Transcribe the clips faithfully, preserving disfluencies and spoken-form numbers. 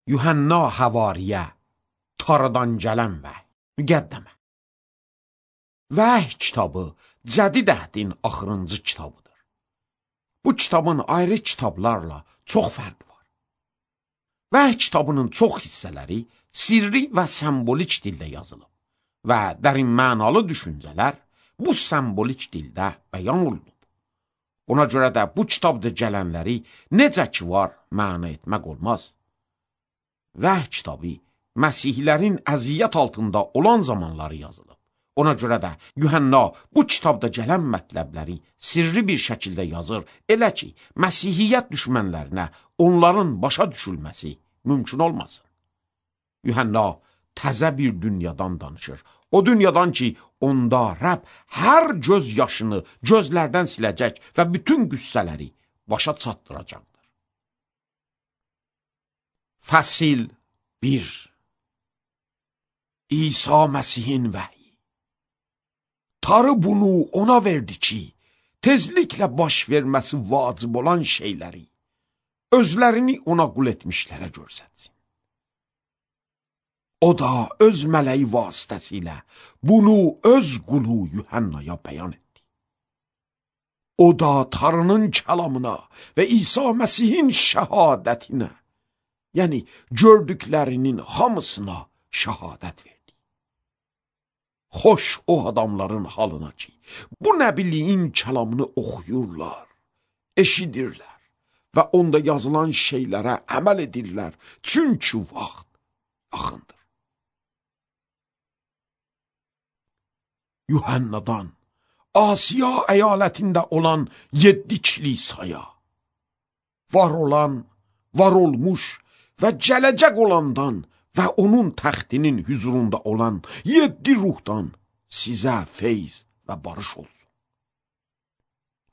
Yuhanna Havariyə, Taradan gələn vəhy, müqəddəmə. Vəhy kitabı Cədid əhdin axırıncı kitabıdır. Bu kitabın ayrı kitablarla çox fərqi var. Vəhy kitabının çox hissələri sirri və sembolik dildə yazılıb və dərin mənalı düşüncələr bu sembolik dildə bəyan olunub. Ona görə də bu kitabda gələnləri necə ki var məna etmək olmaz. Vəhy kitabı Məsihlərin əziyyət altında olan zamanları yazılıb. Ona görə də Yuhanna bu kitabda gələn mətləbləri sirri bir şəkildə yazır, elə ki, Məsihiyyət düşmənlərinə onların başa düşülməsi mümkün olmasın. Yuhanna təzə bir dünyadan danışır. O dünyadan ki, onda Rəbb hər göz yaşını gözlərdən siləcək və bütün qüssələri başa çatdıracaqdır. Fəsil bir. İsa Məsihin vəhyi. Tanrı bunu ona verdi ki, tezliklə baş verməsi vacib olan şeyləri özlərini ona qul etmişlərə görsətsin. O da öz mələyi vasitəsilə bunu öz qulu Yuhannaya bəyan etdi. O da Tanrının kəlamına və İsa Məsihin şəhadətinə, yəni gördüklərinin hamısına şəhadət verdi. Xoş o adamların halına ki, bu nəbiliyin kəlamını oxuyurlar, eşidirlər və onda yazılan şeylərə əməl edirlər, çünki vaxt yaxındır. Yuhannadan Asiya əyalətində olan yeddi kilisaya, var olan, var olmuş və gələcək olandan və onun təxtinin hüzurunda olan yeddi ruhdan sizə feyz və barış olsun.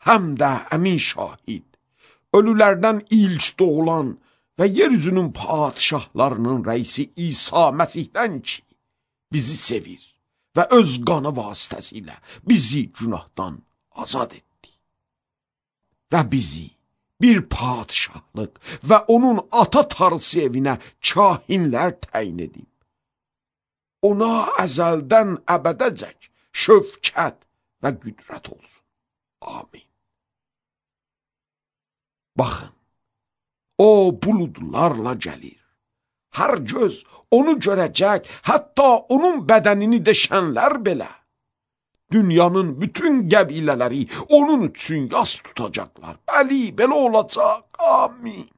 Həm də əmin şahid, ölülərdən ilk doğulan və yeryüzünün padişahlarının rəisi İsa Məsihdən ki, bizi sevir və öz qanı vasitəsilə bizi günahdan azad etdi. Və bizi bir padişahlıq və onun ata tarısı evinə kahinlər təyin edib. Ona əzəldən əbədəcək şövkət və qüdrət olsun. Amin. Baxın, o buludlarla gəlir. Hər göz onu görəcək, hətta onun bədənini deşənlər belə. Dünyanın bütün qəbilələri onun üçün yas tutacaqlar. Bəli, belə olacaq. Amin.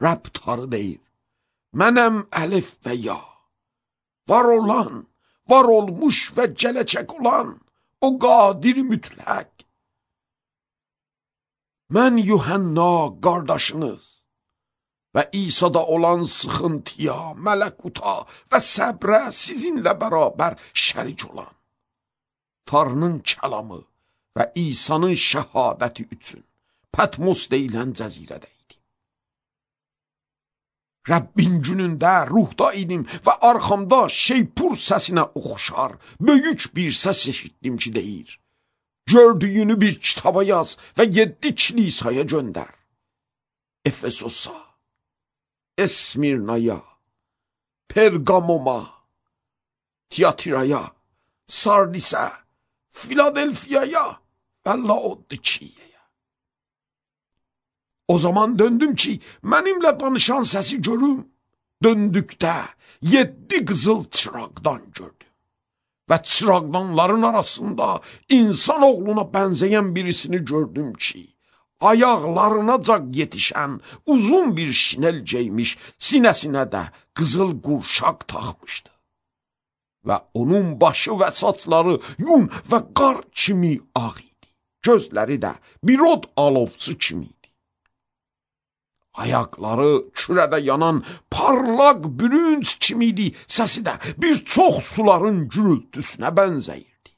Rəbb Tanrı deyir, mənəm əlif və ya, var olan, var olmuş və gələcək olan, o qadir mütləq. Mən Yuhanna qardaşınız və İsa'da olan sıxıntıya, mələkuta və səbrə sizinlə bərabər şərik olan, Tanrının kəlamı və İsa'nın şəhadəti üçün Patmos deyilən cəzirədəydi. Rəbbin günündə ruhda idim və arxamda şeypur səsinə oxşar, böyük bir səs eşitdim ki deyir, gördüyünü bir kitaba yaz və yeddi kilisaya göndər. Efesosa, Esmirnaya, Pergamoma, Tiatiraya, Sardisə, Filadelfiyaya və Laodikiyaya. O zaman döndüm ki, mənimlə danışan səsi görüm. Döndükdə yeddi qızıl çıraqdan gördüm. Və çıraqdanların arasında insan oğluna bənzəyən birisini gördüm ki, ayaqlarınacac yetişən uzun bir şinel geymiş, sinəsinə də qızıl qurşaq taxmışdı. Və onun başı və saçları yun və qar kimi ağ idi. Gözləri də bir od alovçu kimi idi. Ayaqları kürədə yanan parlaq bürünc kimi idi. Səsi də bir çox suların gürültüsünə bənzəyirdi.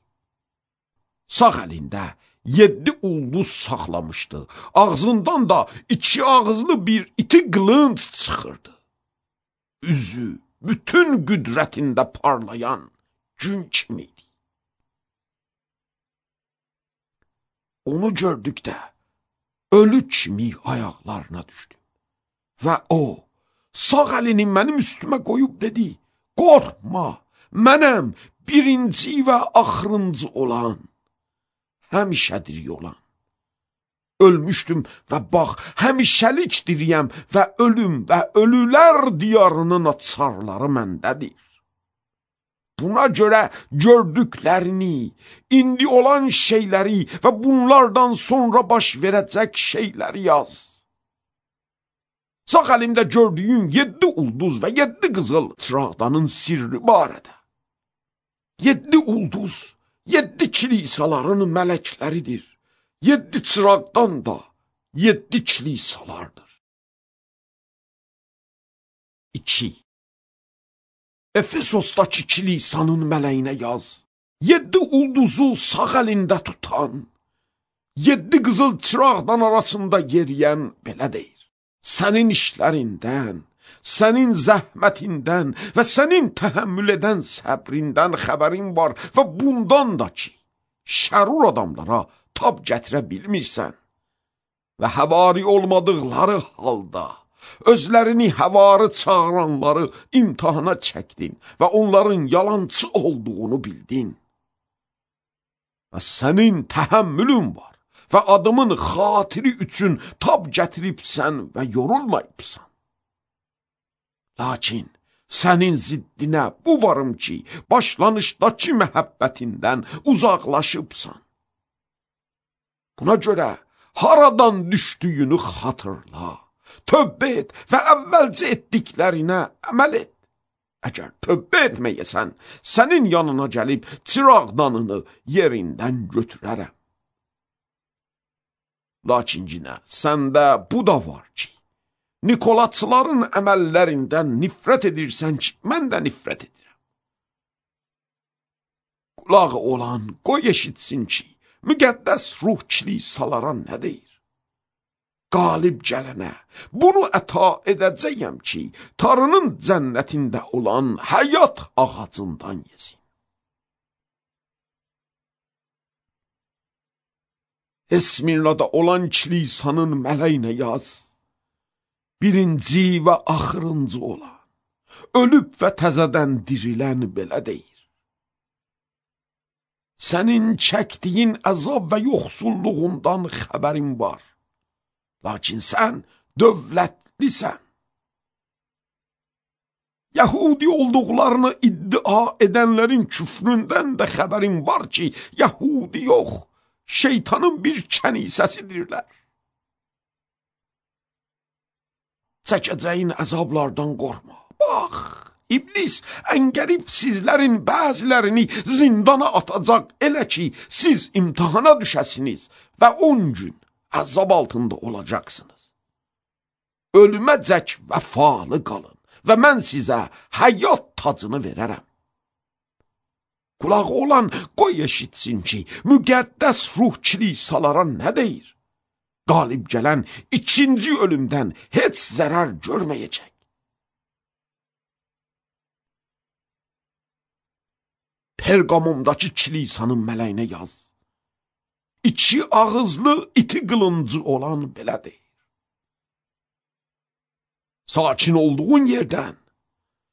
Sağ əlində yeddi ulduz saxlamışdı. Ağzından da iki ağızlı bir iti qılınc çıxırdı. Üzü bütün qüdrətində parlayan gün kimiydi. Onu gördükdə ölü kimi ayaqlarına düşdüm. Və o, sağ əlini mənim üstümə qoyub dedi, qorxma, mənəm birinci və axırıncı olan, həmişədir olan. Ölmüşdüm və bax, həmişəlik diriyəm və ölüm və ölülər diyarının açarları məndədir. Buna görə gördüklərini, indi olan şeyləri və bunlardan sonra baş verəcək şeyləri yaz. Sağ əlimdə gördüyün yeddi ulduz və yeddi qızıl çıraqdanın sirri barədə. Yeddi ulduz, yeddi kilisaların mələkləridir. Yeddi çıraqdan da yeddi kilisalardır. İki. Efesosdakı kilisanın mələyinə yaz. Yeddi ulduzu sağ əlində tutan, yeddi qızıl çıraqdan arasında yeriyən belə deyir. Sənin işlərindən, sənin zəhmətindən və sənin təhəmmül edən səbrindən xəbərin var və bundan da ki, şərur adamlara tab gətirə bilmirsən və həvari olmadıqları halda özlərini həvarı çağıranları imtihana çəkdin və onların yalancı olduğunu bildin. Və sənin təhəmmülün var və adımın xatiri üçün tab gətiribsən və yorulmayıbsan. Lakin sənin ziddinə bu varım ki, başlanışdakı məhəbbətindən uzaqlaşıbsan. Buna görə haradan düşdüyünü xatırla, tövbə et və əvvəlcə etdiklərinə əməl et. Əgər tövbə etməyəsən, sənin yanına gəlib çıraqdanını yerindən götürərəm. Lakin yenə səndə bu da var ki, Nikolatçıların əməllərindən nifrət edirsən ki, mən də nifrət edirəm. Qulağı olan qoy eşitsin ki, müqəddəs ruh kilisalara nə deyir? Qalib gələnə bunu əta edəcəyəm ki, Tanrının cənnətində olan həyat ağacından yesin. Esmirnada olan kilisanın mələyinə yaz. Birinci və axırıncı olan, ölüb və təzədən dirilən belə deyir. Sənin çəkdiyin əzab və yoxsulluğundan xəbərin var. Lakin sən dövlətlisən. Yahudi olduqlarını iddia edənlərin küfründən də xəbərin var ki, Yahudi yox, şeytanın bir kənisəsidirlər. Çəkəcəyin əzablardan qorxma. Bax, İblis əngəlib sizlərin bəzilərini zindana atacaq elə ki, siz imtihana düşəsiniz və on gün əzab altında olacaqsınız. Ölüməcək vəfalı qalın və mən sizə həyat tacını verərəm. Qulağı olan qoy eşitsin ki, müqəddəs ruh kilisalara nə deyir? Qalib gələn ikinci ölümdən heç zərər görməyəcək. Perqamumdakı kilisanın mələyinə yaz. İki ağızlı iti qılıncı olan belə deyir. Sakin olduğun yerdən,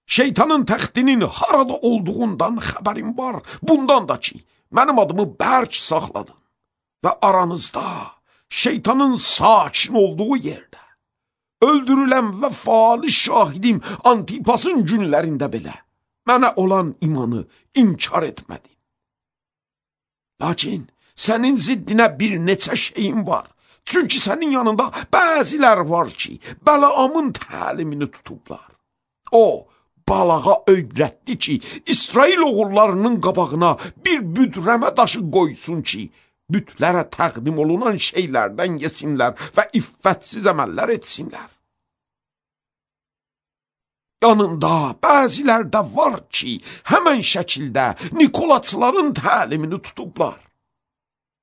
şeytanın təxtinin harada olduğundan xəbərin var. Bundan da ki, mənim adımı bərk saxladın və aranızda şeytanın sakin olduğu yerdə, öldürülən və faali şahidim Antipasın günlərində belə mənə olan imanı inkar etmədin. Lakin sənin ziddinə bir neçə şeyin var. Çünki sənin yanında bəzilər var ki, Bəlaamın təlimini tutublar. O, Balağa öyrətdi ki, İsrail oğullarının qabağına bir büdrəmə daşı qoysun ki, bütlərə təqdim olunan şeylərdən yesinlər və iffətsiz əməllər etsinlər. Yanında bəzilər də var ki, həmən şəkildə Nikolaçların təlimini tutublar.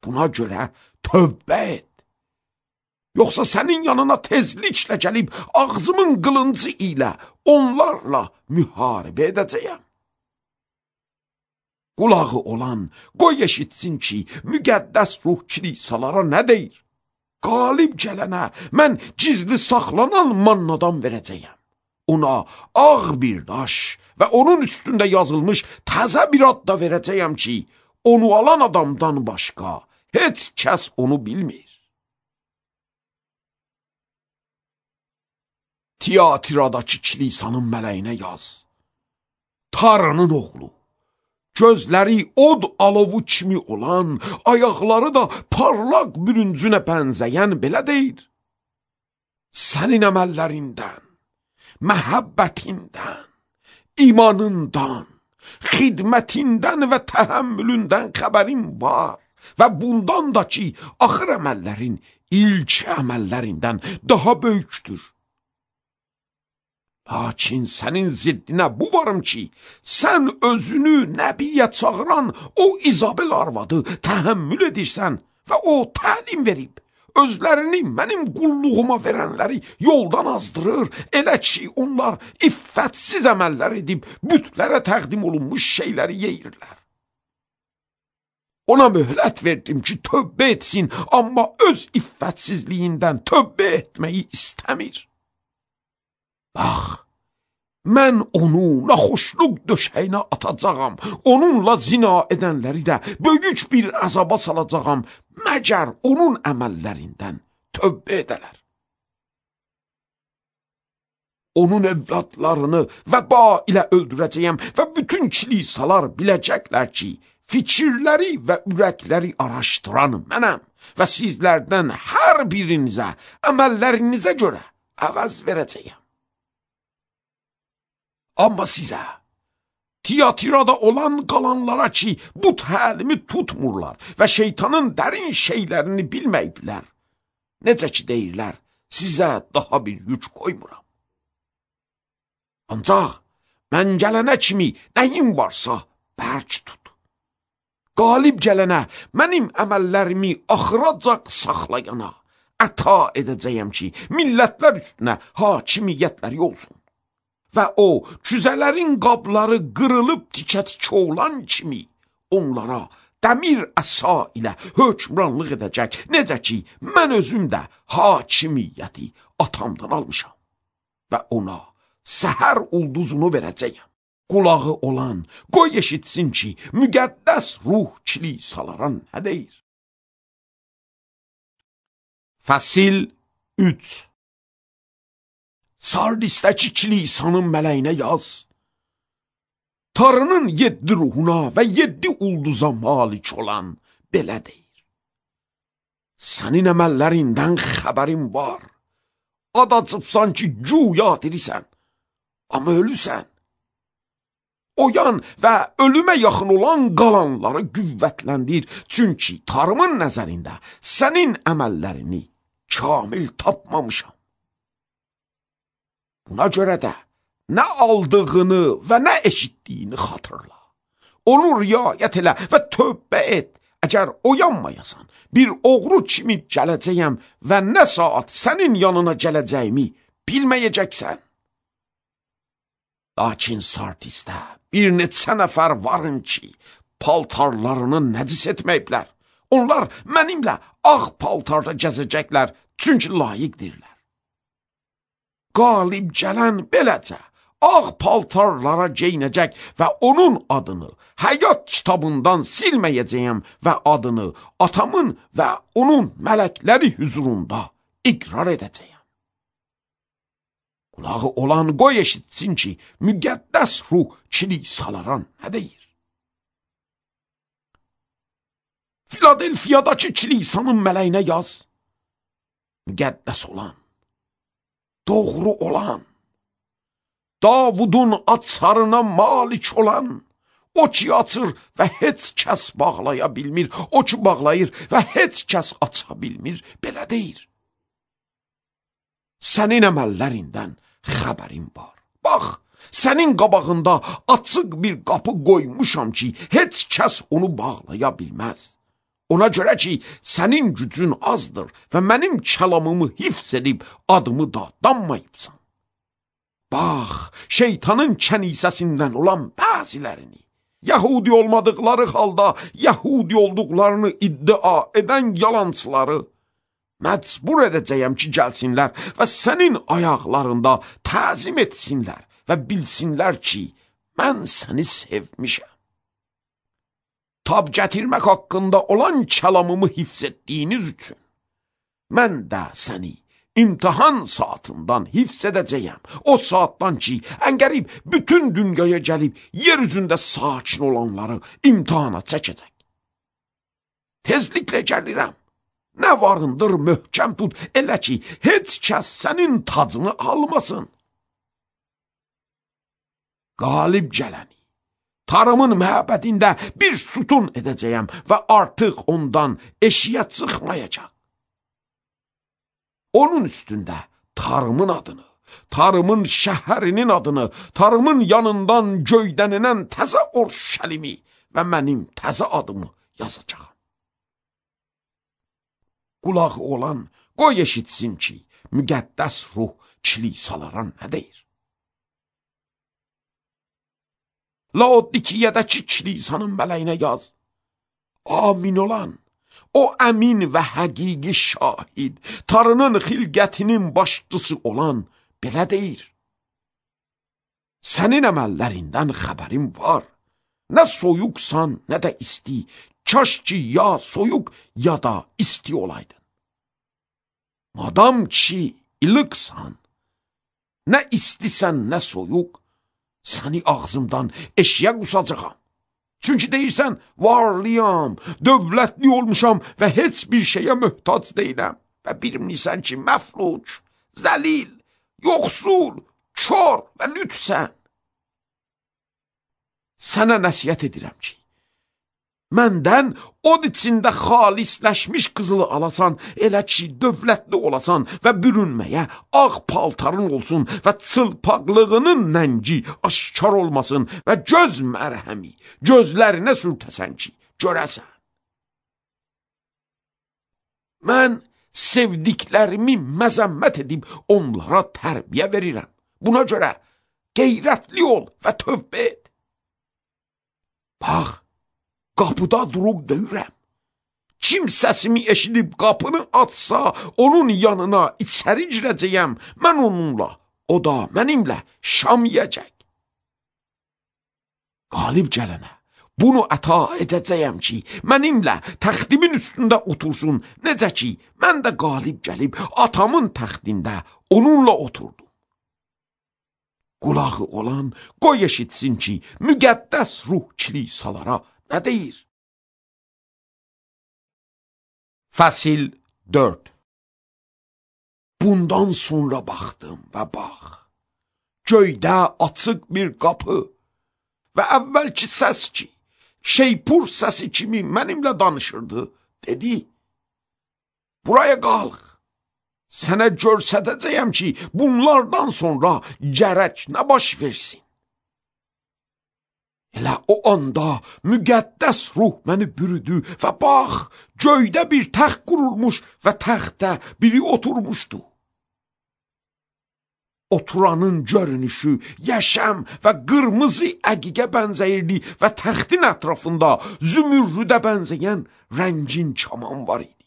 Buna görə tövbə et. Yoxsa sənin yanına tezliklə gəlib ağzımın qılıncı ilə onlarla müharibə edəcəyəm. Qulağı olan qoy eşitsin ki, müqəddəs ruh kilisalara nə deyir? Qalib gələnə mən gizli saxlanan mannadan verəcəyəm. ona ağ bir daş və onun üstündə yazılmış təzə bir ad da verəcəyəm ki, onu alan adamdan başqa heç kəs onu bilmir. Tiatiradakı kilisanın mələyinə yaz. Tarının oğlu, gözləri od alovu kimi olan, ayaqları da parlaq bürüncünə bənzəyən belə deyir. Sənin əməllərindən, məhəbbətindən, imanından, xidmətindən və təhəmmülündən xəbərim var və bundan da ki, axır əməllərin ilk əməllərindən daha böyükdür. Lakin sənin ziddinə bu varım ki, sən özünü nəbiyə çağıran o İzabel arvadı təhəmmül edirsən və o təlim verib. Özlərini mənim qulluğuma verənləri yoldan azdırır, elə ki, onlar iffətsiz əməllər edib, bütlərə təqdim olunmuş şeyləri yeyirlər. Ona möhlət verdim ki, tövbə etsin, amma öz iffətsizliyindən tövbə etməyi istəmir. Bax, mən onu naxoşluq döşəyinə atacağam, onunla zina edənləri də böyük bir əzaba salacağam, məgər onun əməllərindən tövbə edələr. Onun evladlarını vəba ilə öldürəcəyəm və bütün kilisalar biləcəklər ki, fikirləri və ürəkləri araşdıran mənəm və sizlərdən hər birinizə, əməllərinizə görə əvəz verəcəyəm. Amma sizə, Tiatirada olan qalanlara ki, bu təlimi tutmurlar və şeytanın dərin şeylərini bilməyiblər. Necə ki deyirlər, sizə daha bir yük qoymuram. Ancaq mən gələnə kimi nəyim varsa bərk tut. Qalib gələnə mənim əməllərimi axıracaq saxlayana əta edəcəyəm ki, millətlər üstünə hakimiyyətləri olsun. Və o, cüzələrin qabları qırılıb tikə-tikə olan kimi onlara dəmir əsa ilə hökmranlıq edəcək. Necə ki, mən özüm də hakimiyyəti atamdan almışam və ona səhər ulduzunu verəcəyəm. Qulağı olan, qoy eşitsin ki, müqəddəs ruh kilisalara nə deyir? Fəsil üç. Sardisdəki kilisanın mələyinə yaz. Tanrının yeddi ruhuna və yeddi ulduza malik olan belə deyir. Sənin əməllərindən xəbərim var. Ad açıbsan ki, güya dirisən, amma ölüsən. Oyan və ölümə yaxın olan qalanları qüvvətləndir, çünki Tanrımın nəzərində sənin əməllərini kamil tapmamışam. Buna görə də nə aldığını və nə eşitdiyini xatırla. Onu riayət elə və tövbə et. Əgər oyanmayasan, bir oğru kimi gələcəyəm və nə saat sənin yanına gələcəyimi bilməyəcəksən. Lakin Sardisdə bir neçə nəfər varın ki, paltarlarını nəcis etməyiblər. Onlar mənimlə ağ paltarda gəzəcəklər, çünki layiqdirlər. Qalib gələn beləcə ağ paltarlara geyinəcək və onun adını həyat kitabından silməyəcəyəm və adını atamın və onun mələkləri hüzurunda iqrar edəcəyəm. Qulağı olan qoy eşitsin ki, müqəddəs ruh kilisalara nə deyir? Filadelfiyadakı kilisanın mələyinə yaz. Müqəddəs olan, doğru olan, Davudun açarına malik olan, o ki açır və heç kəs bağlaya bilmir, o ki bağlayır və heç kəs aça bilmir, belə deyir. Sənin əməllərindən xəbərim var. Bax, sənin qabağında açıq bir qapı qoymuşam ki, heç kəs onu bağlaya bilməz. Ona görə ki, sənin gücün azdır və mənim kəlamımı hifz edib adımı da danmayıbsan. Bax, şeytanın kənisəsindən olan bəzilərini, Yahudi olmadıqları halda Yahudi olduqlarını iddia edən yalancıları məcbur edəcəyəm ki, gəlsinlər və sənin ayaqlarında təzim etsinlər və bilsinlər ki, mən səni sevmişəm. Tab gətirmək haqqında olan kəlamımı hifz etdiyiniz üçün, mən də səni imtihan saatından hifz edəcəyəm. O saatdan ki, əngərib bütün dünyaya gəlib, yer üzündə sakin olanları imtihana çəkəcək. Tezliklə gəlirəm. Nə varındır möhkəm tut, elə ki, heç kəs sənin tacını almasın. Qalib gələni, tarımın məbədində bir sütun edəcəyəm və artıq ondan eşiyə çıxmayacaq. Onun üstündə tarımın adını, tarımın şəhərinin adını, tarımın yanından göydənilən təzə Orşəlimi və mənim təzə adımı yazacağam. Qulağı olan qoy eşitsin ki, müqəddəs ruh kilisalara nə deyir? Laodikiyədəki kilisanın mələyinə yaz. Amin olan, o əmin və həqiqi şahid, tarının xilqətinin başçısı olan belə deyir. Sənin əməllərindən xəbərim var. Nə soyuqsan, nə də isti. Kaş ki, ya soyuq, ya da isti olaydın. Madam ki, ilıqsan, nə istisən, nə soyuq, səni ağzımdan eşiyə qusacağam. Çünki deyirsən, varlıyam, dövlətli olmuşam və heç bir şeyə möhtac deyiləm. Və bilmirsən ki, məfluc, zəlil, yoxsul, kör və lütsən. Sənə nəsiyyət edirəm ki, məndən od içində xalisləşmiş qızılı alasan, elə ki, dövlətli olasan və bürünməyə ağ paltarın olsun və çılpaqlığının nəngi aşkar olmasın və göz mərhəmi gözlərinə sürtəsən ki, görəsən. Mən sevdiklərimi məzəmmət edib onlara tərbiyə verirəm. Buna görə qeyrətli ol və tövbə et. Bax, qapıda durub döyürəm. Kim səsimi eşidib qapını açsa, onun yanına içəri girəcəyəm. Mən onunla, o da mənimlə şam yiyəcək. Qalib gələnə bunu əta edəcəyəm ki, mənimlə təxtimin üstündə otursun. Necə ki, mən də qalib gəlib atamın təxtində onunla oturdum. Qulağı olan qoy eşitsin ki, müqəddəs ruh kilisalara nə deyir? Fəsil dörd. Bundan sonra baxdım və bax, göydə açıq bir qapı və əvvəlki səs ki, şeypur səsi kimi mənimlə danışırdı, dedi, buraya qalx, sənə görsədəcəyəm ki, bunlardan sonra gərək nə baş versin. Elə o anda müqəddəs ruh məni bürüdü və bax, göydə bir təxt qurulmuş və təxtdə biri oturmuşdu. Oturanın görünüşü yaşam və qırmızı əqiqə bənzəyirdi və təxtin ətrafında zümürrüdə bənzəyən rəngin kaman var idi.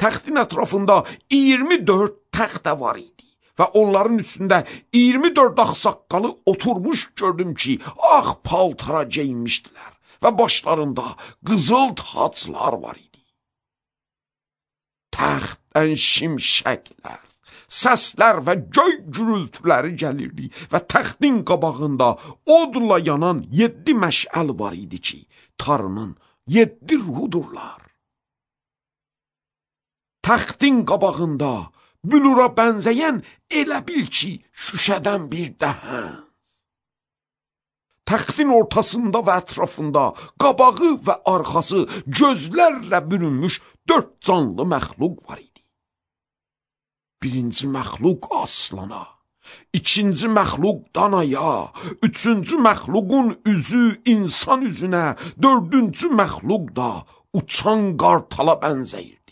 Təxtin ətrafında iyirmi dörd təxt var idi və onların üstündə iyirmi dörd ağsaqqalı oturmuş gördüm ki, ağ paltara geyinmişdilər və başlarında qızıl taclar var idi. Təxtdən şimşəklər, səslər və göy gürültüləri gəlirdi və təxtin qabağında odla yanan yeddi məşəl var idi ki, tarının yeddi ruhudurlar. Təxtin qabağında bülura bənzəyən elə bil ki, şüşədən bir dəhən. Təxtin ortasında və ətrafında qabağı və arxası gözlərlə bürünmüş dörd canlı məxluq var idi. Birinci məxluq aslana, ikinci məxluq danaya, üçüncü məxluqun üzü insan üzünə, dördüncü məxluq da uçan qartala bənzəyirdi.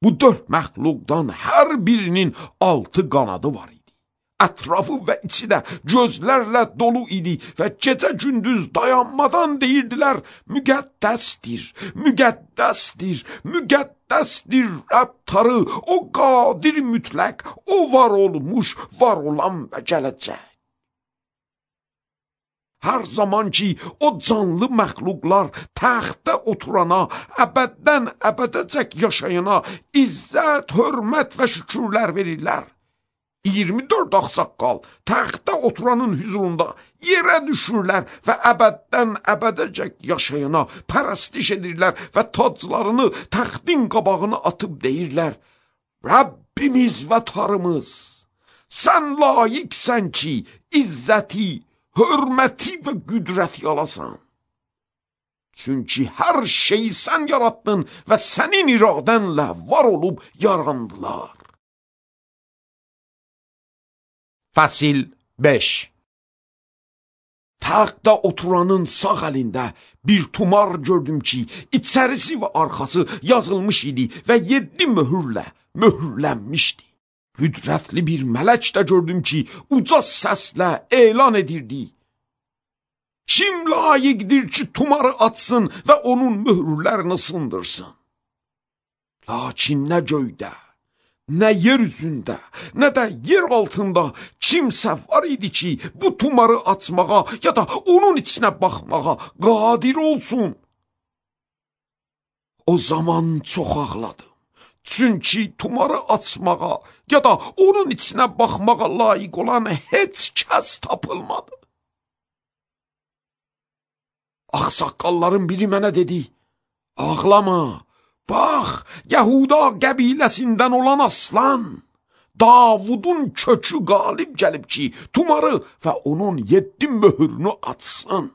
Bu dörd məxluqdan hər birinin altı qanadı var idi. Ətrafı və içi də gözlərlə dolu idi və gecə gündüz dayanmadan deyirdilər, müqəddəsdir, müqəddəsdir, müqəddəsdir Rəbb Tanrı, o qadir mütləq, o var olmuş, var olan və gələcək. Hər zaman ki, o canlı məxluqlar təxtdə oturana, əbəddən əbədəcək yaşayana izzət, hörmət və şükürlər verirlər. iyirmi dörd ağsaqqal təxtdə oturanın hüzurunda yerə düşürlər və əbəddən əbədəcək yaşayana pərəstiş edirlər və taclarını təxtin qabağına atıb deyirlər, Rəbbimiz və Tanrımız, sən layiqsən ki, izzəti, hörməti və qüdrəti alasan. Çünki hər şeyi sən yarattın və sənin iradənlə var olub yarandılar. Fəsil beş. Taxtda oturanın sağ əlində bir tumar gördüm ki, içərisi və arxası yazılmış idi və yeddi möhürlə möhürlənmişdi. Qüdrətli bir mələk də gördüm ki, uca səslə elan edirdi. Kim layiqdir ki, tumarı açsın və onun möhürlərini sındırsın? Lakin nə göydə, nə yer üzündə, nə də yer altında kimsə var idi ki, bu tumarı açmağa ya da onun içinə baxmağa qadir olsun. O zaman çox ağladım. Çünki tumarı açmağa ya da onun içinə baxmağa layiq olan heç kəs tapılmadı. Ağsaqqalların biri mənə dedi, ağlama, bax, Yahuda qəbiləsindən olan aslan, Davudun kökü qalib gəlib ki, tumarı və onun yeddi möhürünü açsın.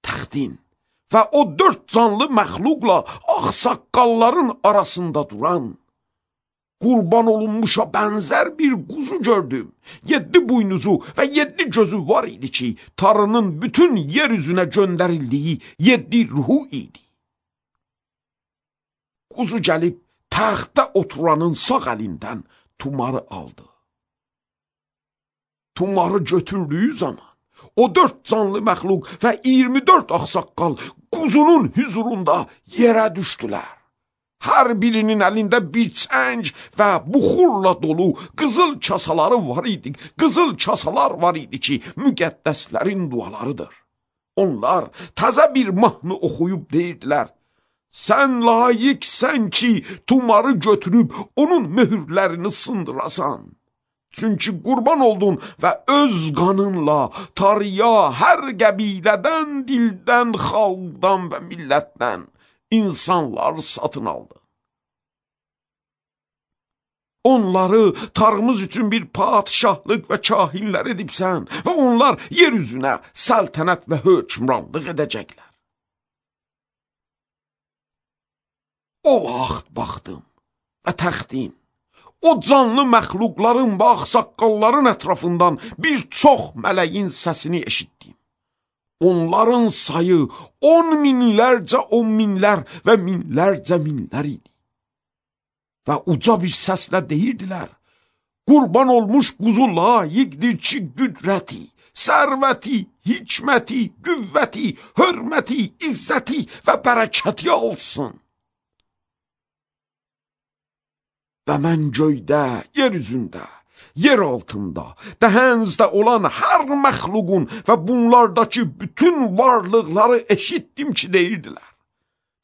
Təxtin və o dörd canlı məxluqla ağsaqqalların arasında duran, qurban olunmuşa bənzər bir quzu gördüm. Yeddi buynuzu və yeddi gözü var idi ki, Tanrının bütün yer üzünə göndərildiyi yeddi ruhu idi. Quzu gəlib taxtda oturanın sağ əlindən tumarı aldı. Tumarı götürdüyü zaman o dörd canlı məxluq və iyirmi dörd ağsaqqal quzunun hüzurunda yerə düşdülər. Hər birinin əlində bir çəng və buxurla dolu qızıl kasaları var idi. Qızıl kasalar var idi ki, müqəddəslərin dualarıdır. Onlar təzə bir mahnı oxuyub deyirdilər, sən layiqsən ki, tumarı götürüb onun möhürlərini sındırasan. Çünki qurban oldun və öz qanınla Tanrıya hər qəbilədən, dildən, xalqdan və millətdən insanlar satın aldı. Onları Tanrımız üçün bir padişahlıq və kahinlər edibsən və onlar yer üzünə səltənət və hökmranlıq edəcəklər. O vaxt baxdım və təxtin, o canlı məxluqların və ağsaqqalların ətrafından bir çox mələyin səsini eşitdim. Onların sayı on minlərcə on minlər və minlərcə minlər idi. Və uca bir səslə deyirdilər, qurban olmuş quzu layiqdir ki, qüdrəti, sərvəti, hikməti, qüvvəti, hörməti, izzəti və bərəkəti alsın. Və mən göydə, yer üzündə, yer altında, dəhənzdə olan hər məxluqun və bunlardakı bütün varlıqları eşitdim ki, deyirdilər.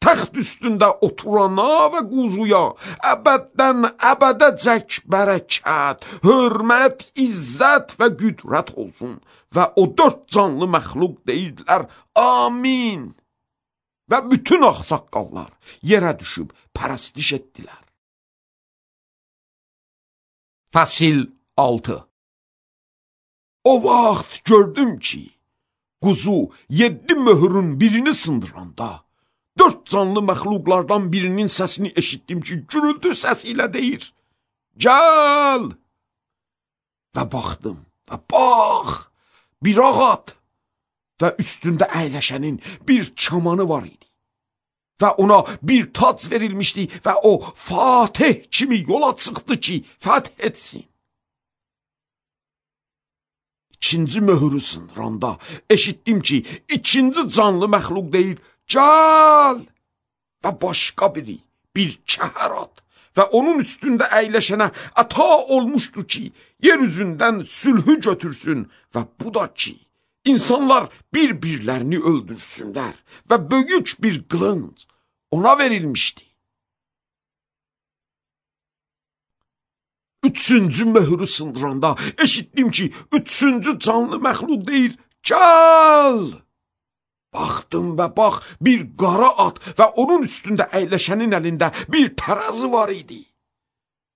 Təxt üstündə oturana və quzuya əbəddən əbədəcək bərəkət, hörmət, izzət və qüdrət olsun. Və o dörd canlı məxluq deyirdilər, amin. Və bütün ağsaqqallar yerə düşüb pərəstiş etdilər. Fəsil altı. O vaxt gördüm ki, quzu yeddi möhürün birini sındıranda, dörd canlı məxluqlardan birinin səsini eşitdim ki, gürültü səsi ilə deyir, gəl! Və baxdım və bax, bir ağat və üstündə əyləşənin bir kamanı var idi. və ona bir tac verilmişdi və o Fatih kimi yola çıxdı ki, fəth etsin. İkinci möhürü sındıranda eşitdim ki, ikinci canlı məxluq deyir, gəl! Və başqa biri, bir kəhər at və onun üstündə əyləşənə əta olmuşdur ki, yer üzündən sülhü götürsün və bu da ki, İnsanlar bir-birlərini öldürsünlər və böyük bir qılınc ona verilmişdi. Üçüncü möhürü sındıranda eşitdim ki, üçüncü canlı məxluq deyir, gəl! Baxdım və bax, bir qara at və onun üstündə əyləşənin əlində bir tərəzi var idi.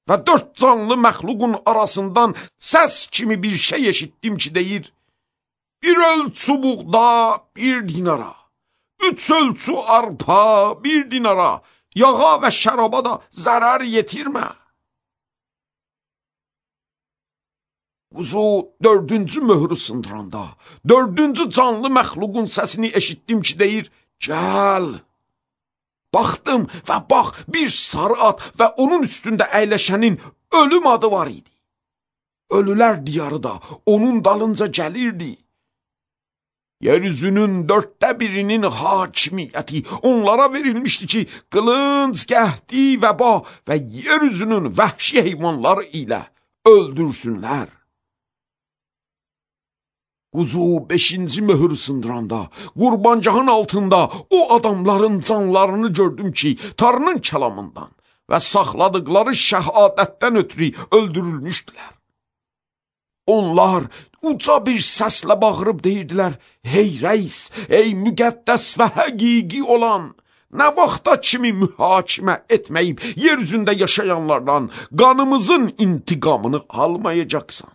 Və dörd canlı məxluqun arasından səs kimi bir şey eşitdim ki, deyir, bir ölçü buğda, bir dinara, üç ölçü arpa, bir dinara, yağa və şəraba da zərər yetirmə. Quzu dördüncü möhürü sındıranda, dördüncü canlı məxluqun səsini eşitdim ki, deyir, gəl. Baxdım və bax, bir sarı at və onun üstündə əyləşənin ölüm adı var idi. Ölülər diyarı da onun dalınca gəlirdi. Yeryüzünün dörtte birinin hakimiyyəti onlara verilmişdi ki, qılınc, qəhdi, vəba və yeryüzünün vəhşi heyvanları ilə öldürsünlər. Quzu beşinci möhürü sındıranda, qurbancağın altında o adamların canlarını gördüm ki, Tanrının kəlamından və saxladıqları şəhadətdən ötürü öldürülmüşdülər. Onlar uca bir səslə bağırıb deyirdilər, hey rəis, ey müqəddəs və həqiqi olan, nə vaxta kimi mühakimə etməyib yeryüzündə yaşayanlardan qanımızın intiqamını almayacaqsan.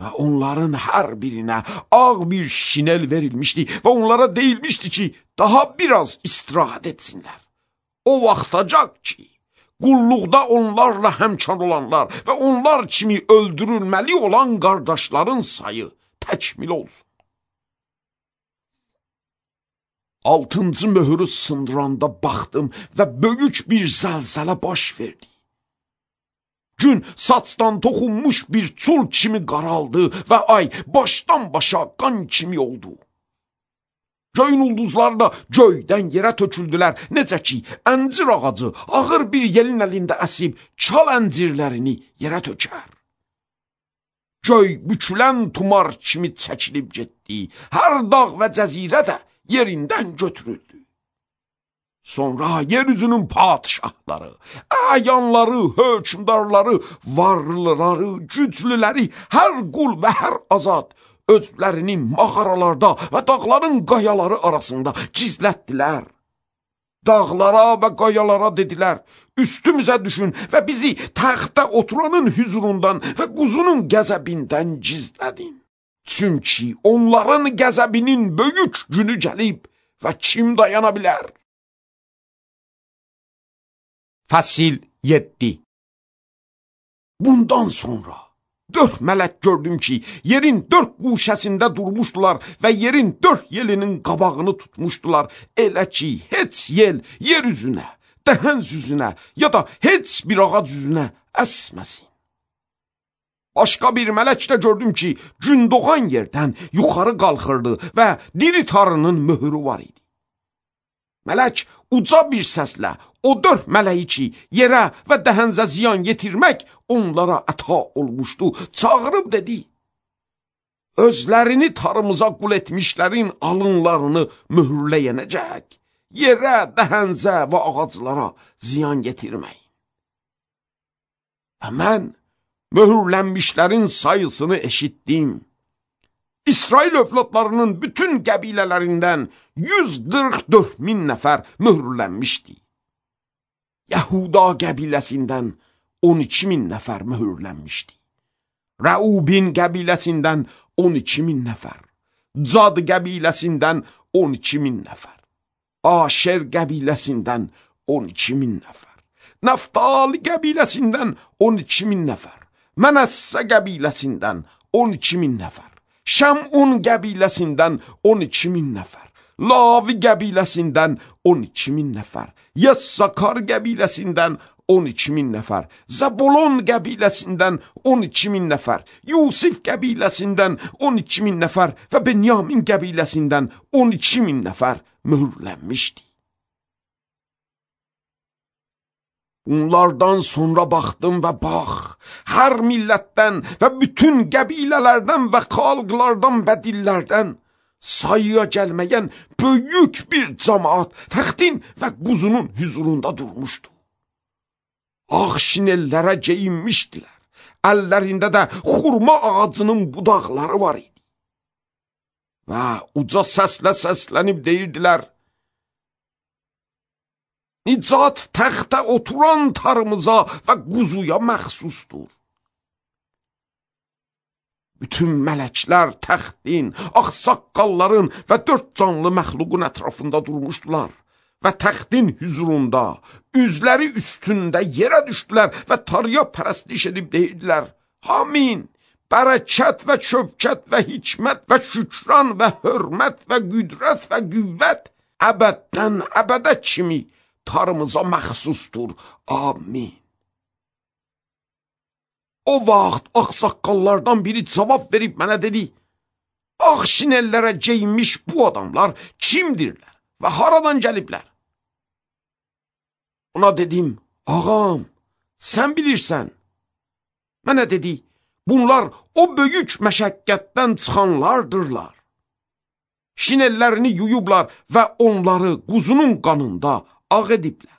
Və onların hər birinə ağ bir şinel verilmişdi və onlara deyilmişdi ki, daha biraz istirahət etsinlər. O vaxtacaq ki, qulluqda onlarla həmkar olanlar və onlar kimi öldürülməli olan qardaşların sayı təkmil olsun. Altıncı möhürü sındıranda baxdım və böyük bir zəlzələ baş verdi. Gün saçdan toxunmuş bir çul kimi qaraldı və ay başdan başa qan kimi oldu. Göyün ulduzları da göydən yerə töküldülər, necə ki, əncir ağacı ağır bir yelin əlində əsib çal əncirlərini yerə tökər. Göy bükülən tumar kimi çəkilib getdi, hər dağ və cəzirə də yerindən götürüldü. Sonra yeryüzünün padişahları, əyanları, hökmdarları, varlıları, güclüləri, hər qul və hər azad özlərini mağaralarda və dağların qayaları arasında gizlətdilər. Dağlara və qayalara dedilər, üstümüzə düşün və bizi təxtə oturanın hüzurundan və quzunun qəzəbindən gizlədin. Çünki onların qəzəbinin böyük günü gəlib və kim dayana bilər? Fəsil yeddi. Bundan sonra dörd mələk gördüm ki, yerin dörd quşəsində durmuşdular və yerin dörd yelinin qabağını tutmuşdular. Elə ki, heç yel yer üzünə, dəhən üzünə ya da heç bir ağac üzünə əsməsin. Başqa bir mələk də gördüm ki, gün doğan yerdən yuxarı qalxırdı və diri Tanrının möhürü var idi. Mələk uca bir səslə o dörd mələyi ki, yerə və dəhənzə ziyan yetirmək onlara əta olmuşdu, çağırıb dedi, özlərini tarımıza qul etmişlərin alınlarını mühürləyənəcək, yerə, dəhənzə və ağaclara ziyan yetirməyin. Və mən möhürlənmişlərin sayısını eşitdim. İsrail övladlarının bütün qəbilələrindən yüz qırx dörd min nəfər mühürlənmişdi. Yahuda qəbiləsindən on iki min nəfər mühürlənmişdi. Rəubin qəbiləsindən on iki min nəfər. Cad qəbiləsindən on iki min nəfər. Aşer qəbiləsindən on iki min nəfər. Naftali qəbiləsindən on iki min nəfər. Mənəssə qəbiləsindən on iki min nəfər. Şəmun qəbiləsindən on iki min nəfər. Lavi qəbiləsindən on iki min nəfər, Yəssakar qəbiləsindən on iki min nəfər, Zəbolon qəbiləsindən on iki min nəfər, Yusif qəbiləsindən on iki min nəfər və Benyamin qəbiləsindən on iki min nəfər mühürlənmişdi. Bunlardan sonra baxdım və bax, hər millətdən və bütün qəbilələrdən və xalqlardan və dillərdən sayıya gəlməyən böyük bir cəmaat təxtin və quzunun hüzurunda durmuşdu. Ağ şinellərə geyinmişdilər, əllərində də xurma ağacının budaqları var idi. Və uca səslə səslənib deyirdilər, Nicat təxtə oturan tarımıza və quzuya məxsusdur. Bütün mələklər təxtin, ağsaqqalların və dörd canlı məxluqun ətrafında durmuşdular və təxtin hüzurunda, üzləri üstündə yerə düşdülər və tarıya pərəstiş edib deyirdilər, Amin, bərəkət və şövkət və hikmət və şükran və hörmət və qüdrət və qüvvət əbəddən əbədə kimi tarımıza məxsusdur. Amin. O vaxt ağsaqqallardan biri cavab verib mənə dedi, ağ şinellərə geyinmiş bu adamlar kimdirlər və haradan gəliblər? Ona dedim, ağam, sən bilirsən. Mənə dedi, bunlar o böyük məşəqqətdən çıxanlardırlar. Şinellərini yuyublar və onları quzunun qanında ağ ediblər.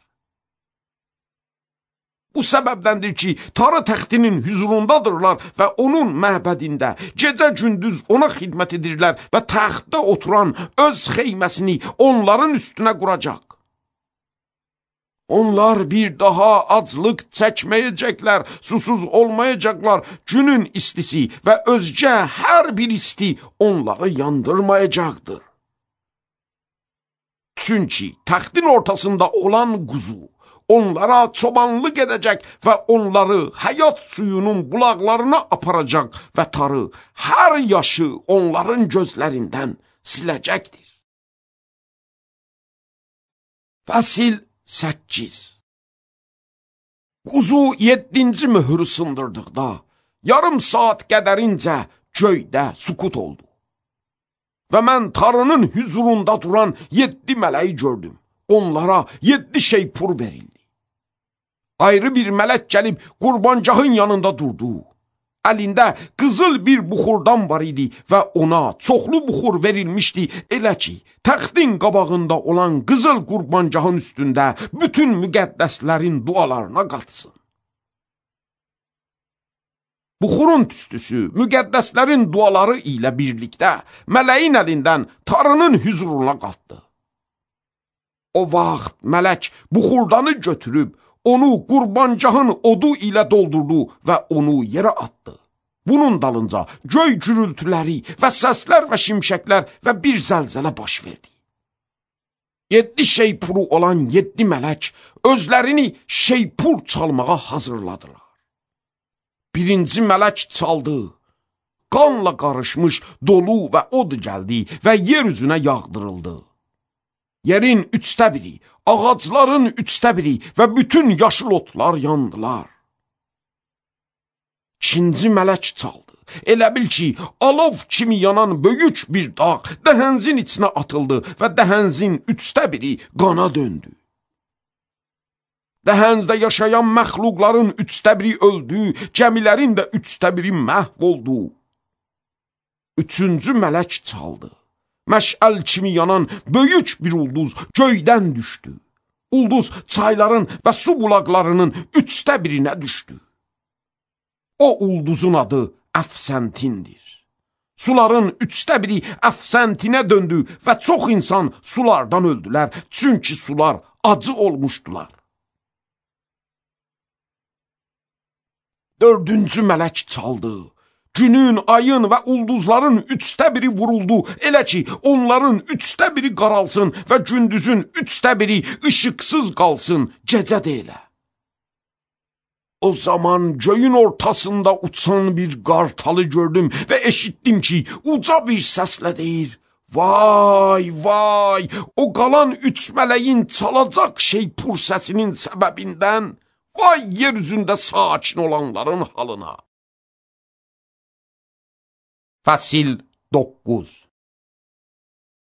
Bu səbəbdəndir ki, tarı təxtinin hüzurundadırlar və onun məbədində gecə-gündüz ona xidmət edirlər və təxtdə oturan öz xeyməsini onların üstünə quracaq. Onlar bir daha aclıq çəkməyəcəklər, susuz olmayacaqlar, günün istisi və özgə hər bir isti onları yandırmayacaqdır. Çünki təxtin ortasında olan quzu onlara çobanlıq edəcək və onları həyat suyunun bulaqlarına aparacaq və tarı hər yaşı onların gözlərindən siləcəkdir. Fəsil səkkiz. Quzu yeddinci möhürü sındırdıqda, yarım saat qədərincə göydə sükut oldu. Və mən tarının hüzurunda duran yeddi mələyi gördüm. Onlara yeddi şeypur verildi. Ayrı bir mələk gəlib qurbancağın yanında durdu. Əlində qızıl bir buxurdan var idi və ona çoxlu buxur verilmişdi. Elə ki, təxtin qabağında olan qızıl qurbancağın üstündə bütün müqəddəslərin dualarına qatsın. Buxurun tüstüsü müqəddəslərin duaları ilə birlikdə mələyin əlindən tarının hüzuruna qalxdı. O vaxt mələk buxurdanı götürüb, onu qurbancağın odu ilə doldurdu və onu yerə atdı. Bunun dalınca göy gürültüləri və səslər və şimşəklər və bir zəlzələ baş verdi. Yeddi şeypuru olan yeddi mələk özlərini şeypur çalmağa hazırladılar. Birinci mələk çaldı, qanla qarışmış dolu və od gəldi və yer üzünə yağdırıldı. Yerin üçdə biri, ağacların üçdə biri və bütün yaşıl otlar yandılar. İkinci mələk çaldı. Elə bil ki, alov kimi yanan böyük bir dağ dəhənzin içinə atıldı və dəhənzin üçdə biri qana döndü. Dəhənzdə yaşayan məxluqların üçdə biri öldü, gəmilərin də üçdə biri məhv oldu. Üçüncü mələk çaldı. Məşəl kimi yanan böyük bir ulduz göydən düşdü. Ulduz çayların və su bulaqlarının üçdə birinə düşdü. O ulduzun adı Əfsəntindir. Suların üçdə biri Əfsəntinə döndü və çox insan sulardan öldülər, çünki sular acı olmuşdular. Dördüncü mələk çaldı. Günün, ayın və ulduzların üçdə biri vuruldu, elə ki, onların üçdə biri qaralsın və gündüzün üçdə biri ışıqsız qalsın, gecə də elə. O zaman göyün ortasında uçan bir qartalı gördüm və eşitdim ki, uca bir səslə deyir, Vay, vay, o qalan üç mələyin çalacaq şeypur səsinin səbəbindən, vay yer üzündə sakin olanların halına. Fəsil doqquz.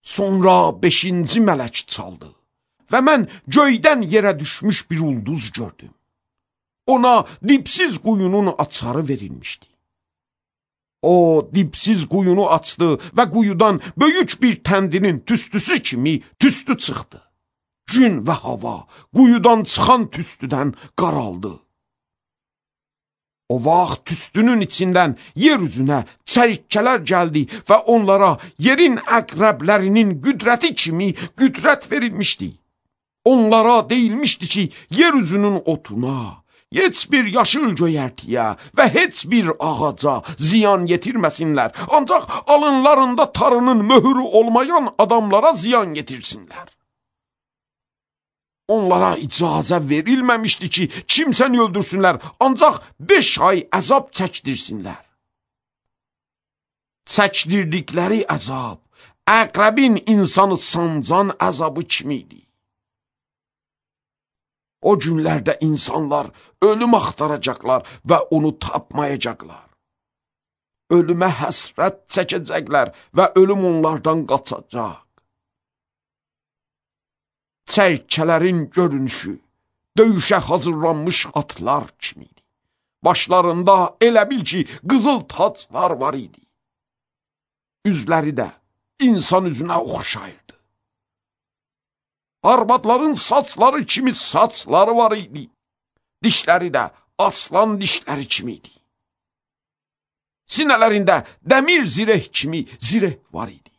Sonra beşinci mələk çaldı və mən göydən yerə düşmüş bir ulduz gördüm. Ona dipsiz quyunun açarı verilmişdi. O dipsiz quyunu açdı və quyudan böyük bir təndirin tüstüsü kimi tüstü çıxdı. Gün və hava quyudan çıxan tüstüdən qaraldı. O vaxt tüstünün içindən yer üzünə çərikçələr gəldi və onlara yerin əqrəblərinin qüdrəti kimi qüdrət verilmişdi. Onlara deyilmişdi ki, yer üzünün otuna, heç bir yaşıl göyərtiyə və heç bir ağaca ziyan yetirməsinlər. Ancaq alınlarında tarının möhürü olmayan adamlara ziyan yetirsinlər. Onlara icazə verilməmişdi ki, kimsəni öldürsünlər, ancaq beş ay əzab çəkdirsinlər. Çəkdirdikləri əzab, əqrəbin insanı sancan əzabı kimiydi. O günlərdə insanlar ölüm axtaracaqlar və onu tapmayacaqlar. Ölümə həsrət çəkəcəklər və ölüm onlardan qaçacaq. Çərkələrin görünüşü döyüşə hazırlanmış atlar kimiydi. Başlarında elə bil ki, qızıl taclar var idi. Üzləri də insan üzünə oxşayırdı. Arvadların saçları kimi saçları var idi. Dişləri də aslan dişləri kimiydi. Sinələrində dəmir zireh kimi zireh var idi.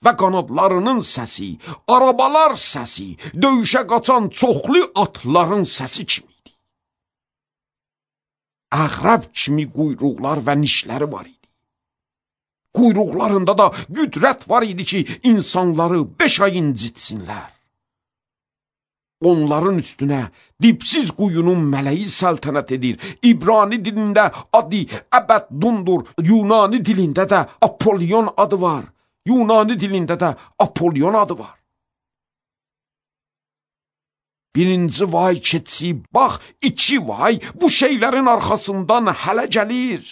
Və qanadlarının səsi, arabalar səsi, döyüşə qaçan çoxlu atların səsi kimiydi. Əqrəb kimi quyruqlar və nişləri var idi. Quyruqlarında da qüdrət var idi ki, insanları beş ay incitsinlər. Onların üstünə dipsiz quyunun mələyi səltənət edir. İbrani dilində adı Əbəddundur, Yunani dilində də Apollyon adı var. Yunani dilində də Apollyon adı var. Birinci vay keçib, bax, iki vay bu şeylərin arxasından hələ gəlir.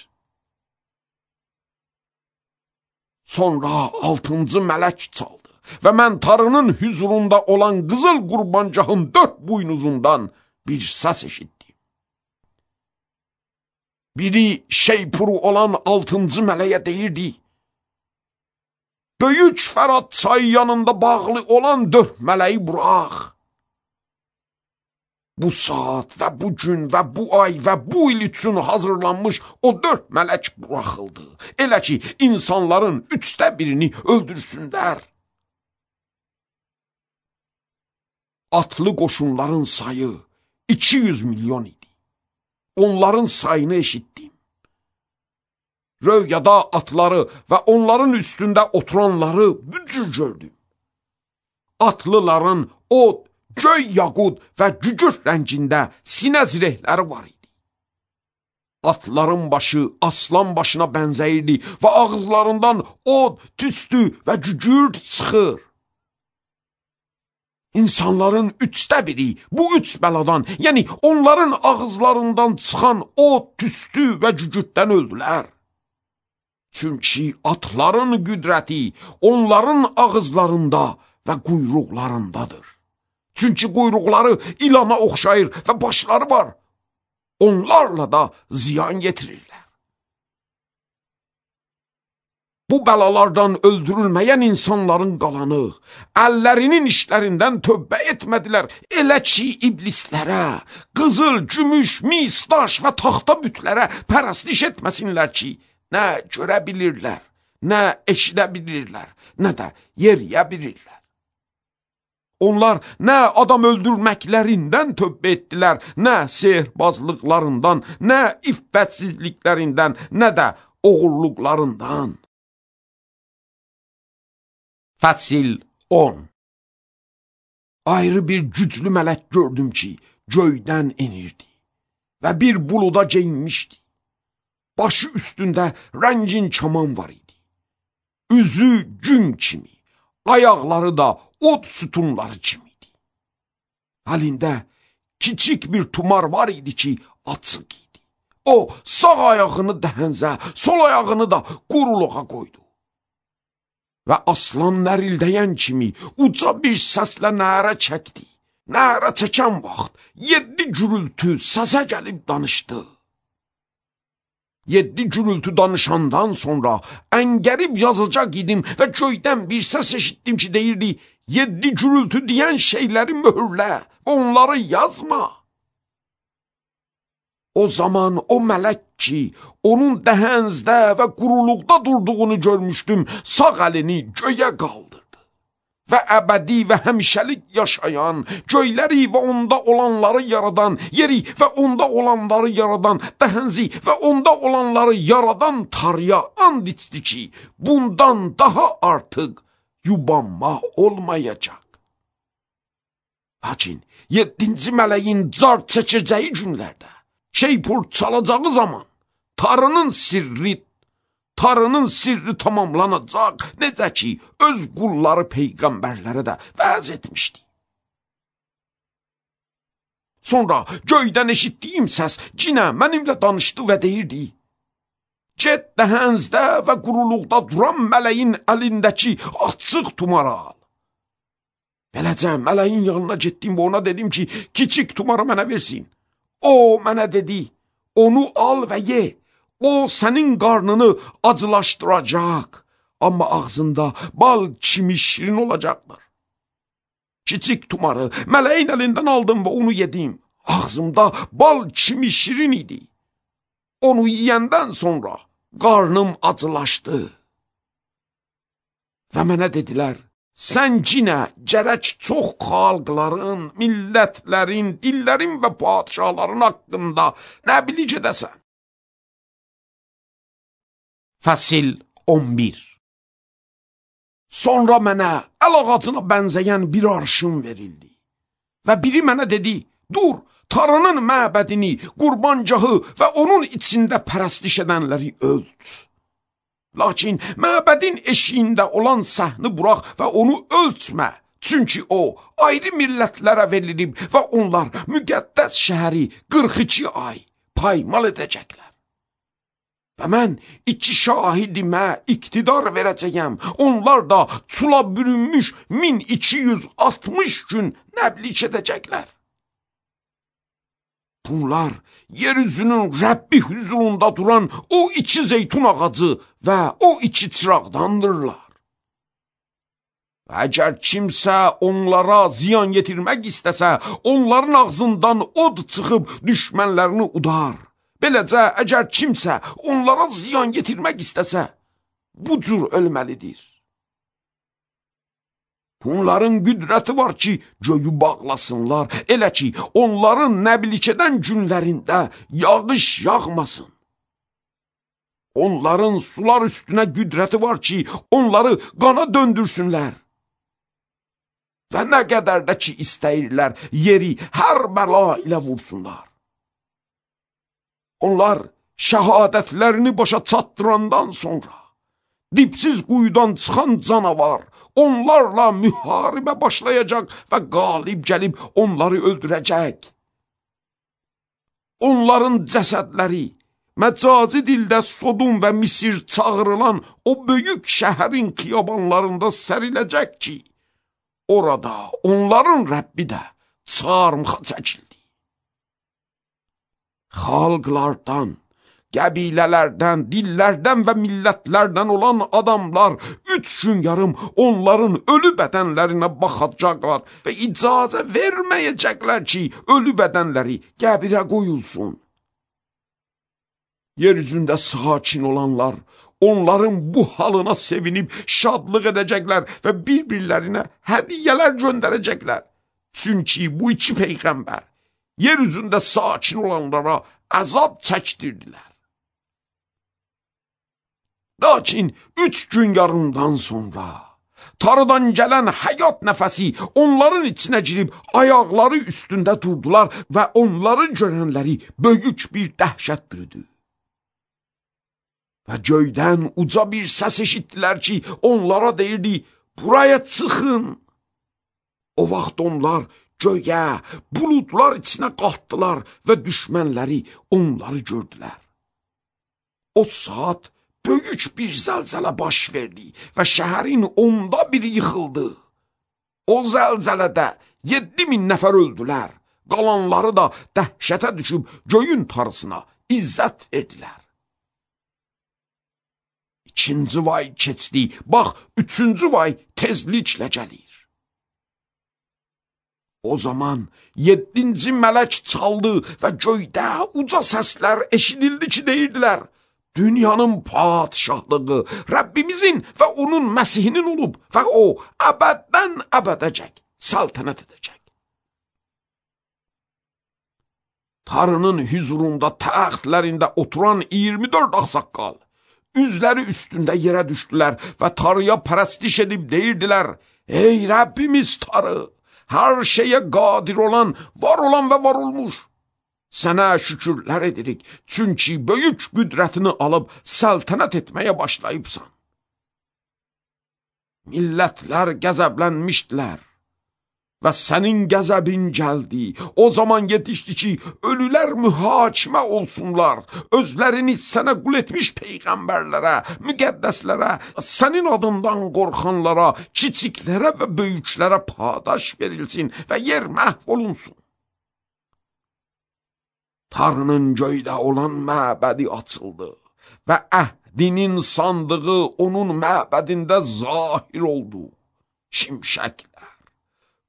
Sonra altıncı mələk çaldı və mən tarının hüzurunda olan qızıl qurbancağın dörd buynuzundan bir səs eşitdim. Biri şeypuru olan altıncı mələyə deyirdi: Böyük Fərat çayı yanında bağlı olan dörd mələyi burax. Bu saat və bu gün və bu ay və bu il üçün hazırlanmış o dörd mələk buraxıldı. Elə ki, insanların üçdə birini öldürsünlər. Atlı qoşunların sayı iki yüz milyon idi. Onların sayını eşitdim. Röyada atları və onların üstündə oturanları bücür gördüm. Atlıların od, göy yaqud və cücür rəngində sinə zirehləri var idi. Atların başı aslan başına bənzəyirdi və ağızlarından od, tüstü və cücür çıxır. İnsanların üçdə biri bu üç bəladan, yəni onların ağızlarından çıxan od, tüstü və cücürdən öldülər. Çünki atların qüdrəti onların ağızlarında və quyruqlarındadır. Çünki quyruqları ilana oxşayır və başları var. Onlarla da ziyan yetirirlər. Bu bəlalardan öldürülməyən insanların qalanı, əllərinin işlərindən tövbə etmədilər. Elə ki, iblislərə, qızıl, gümüş, mis, daş və taxta bütlərə pərəstiş etməsinlər ki, nə görə bilirlər, nə eşidə bilirlər, nə də yeriyə bilirlər. Onlar nə adam öldürməklərindən tövbə etdilər, nə sehrbazlıqlarından, nə iffətsizliklərindən, nə də oğurluqlarından. Fəsil on. Ayrı bir güclü mələk gördüm ki, göydən enirdi və bir buluda geyinmişdi. Başı üstündə rəngin kaman var idi. Üzü gün kimi, ayaqları da od sütunları kimiydi. Əlində kiçik bir tumar var idi ki, açıq idi. O, sağ ayağını dəhənzə, sol ayağını da quruluğa qoydu. Və aslan nərildəyən kimi uca bir səslə nərə çəkdi. Nərə çəkən vaxt yeddi gürültü səsə gəlib danışdı. Yeddi gürültü danışandan sonra əngərib yazacaq idim və göydən bir səs eşitdim ki, deyirdi, yeddi gürültü deyən şeyləri möhürlə, onları yazma. O zaman o mələk ki, onun dəhənzdə və quruluqda durduğunu görmüşdüm, sağ əlini göyə qaldırdı. Və əbədi və həmişəlik yaşayan, göyləri və onda olanları yaradan, yeri və onda olanları yaradan, dəhənzi və onda olanları yaradan Tanrıya and içdi ki, bundan daha artıq yubanma olmayacaq. Lakin yeddinci mələyin car çəkəcəyi günlərdə, şeypur çalacağı zaman, Tanrının sirri Tanrının sirri tamamlanacaq, necə ki, öz qulları peyğəmbərlərə də vəz etmişdi. Sonra göydən eşitdiyim səs cinə mənimlə danışdı və deyirdi, get dəhənzdə və quruluqda duran mələyin əlindəki açıq tumarı al. Beləcə mələyin yanına getdim və ona dedim ki, kiçik tumarı mənə versin. O mənə dedi, onu al və ye. O sənin qarnını acılaşdıracaq, amma ağzında bal kimi şirin olacaqdır. Kiçik tumarı mələyin əlindən aldım və onu yedim. Ağzımda bal kimi şirin idi. Onu yiyəndən sonra qarnım acılaşdı. Və mənə dedilər, sən cinə gərək çox xalqların, millətlərin, dillərin və padişahların haqqında nə bilik edəsən? Fəsil on bir. Sonra mənə əl ağacına bənzəyən bir arşın verildi. Və biri mənə dedi, dur, Tanrının məbədini, qurbangahı və onun içində pərəstiş edənləri ölç. Lakin məbədin eşiyində olan səhni burax və onu ölçmə. Çünki o, ayrı millətlərə verilib və onlar müqəddəs şəhəri qırx iki ay paymal edəcəklər. Və mən iki şahidimə iqtidar verəcəyəm. Onlar da çula bürünmüş min iki yüz altmış gün nəblik edəcəklər. Bunlar yeryüzünün Rəbbi huzurunda duran o iki zeytun ağacı və o iki çıraqdandırlar. Və əgər kimsə onlara ziyan yetirmək istəsə, onların ağzından od çıxıb düşmənlərini udar. Beləcə, əgər kimsə onlara ziyan getirmək istəsə, bu cür ölməlidir. Bunların qüdrəti var ki, göyü bağlasınlar, elə ki, onların nəblik edən günlərində yağış yağmasın. Onların sular üstünə qüdrəti var ki, onları qana döndürsünlər. Və nə qədər də ki istəyirlər, yeri hər bəla ilə vursunlar. Onlar şəhadətlərini başa çatdırandan sonra, dipsiz quyudan çıxan canavar onlarla müharibə başlayacaq və qalib gəlib onları öldürəcək. Onların cəsədləri məcazi dildə Sodom və Misir çağırılan o böyük şəhərin xiyabanlarında səriləcək ki, orada onların Rəbbi də çarmıxa çəkildi. Xalqlardan, qəbilələrdən, dillərdən və millətlərdən olan adamlar üç gün yarım onların ölü bədənlərinə baxacaqlar və icazə verməyəcəklər ki, ölü bədənləri qəbirə qoyulsun. Yeryüzündə sakin olanlar onların bu halına sevinib şadlıq edəcəklər və bir-birlərinə hədiyyələr göndərəcəklər. Çünki bu iki peyğəmbər yeryüzündə sakin olanlara əzab çəkdirdilər. Lakin üç gün yarımdan sonra Tanrıdan gələn həyat nəfəsi onların içinə girib ayaqları üstündə durdular və onları görənləri böyük bir dəhşət bürüdü. Və göydən uca bir səs eşitdilər ki, onlara deyirdi, buraya çıxın. O vaxt onlar göyə, buludlar içinə qalxdılar və düşmənləri onları gördülər. O saat böyük bir zəlzələ baş verdi və şəhərin onda biri yıxıldı. O zəlzələdə yeddi min nəfər öldülər, qalanları da dəhşətə düşüb göyün tarısına izzət verdilər. İkinci vay keçdi, bax, üçüncü vay tezliklə gəlir. O zaman yeddinci mələk çaldı və göydə uca səslər eşidildi ki, deyirdilər, dünyanın padişahlığı Rəbbimizin və onun Məsihinin olub və o əbəddən əbədəcək səltənət edəcək. Tanrının hüzurunda təxtlərində oturan iyirmi dörd ağsaqqal üzləri üstündə yerə düşdülər və Tanrıya pərəstiş edib deyirdilər, ey Rəbbimiz Tanrı, hər şeyə qadir olan, var olan və var olmuş. Sənə şükürlər edirik, çünki böyük qüdrətini alıb səltənət etməyə başlayıbsan. Millətlər qəzəblənmişdilər və sənin qəzəbin gəldi. O zaman yetişdi ki, ölülər mühakimə olsunlar, özlərini sənə qul etmiş peyğəmbərlərə, müqəddəslərə, sənin adından qorxanlara, kiçiklərə və böyüklərə padaş verilsin və yer məhv olunsun. Tanrının göydə olan məbədi açıldı və əhdinin sandığı onun məbədində zahir oldu. Şimşəklər,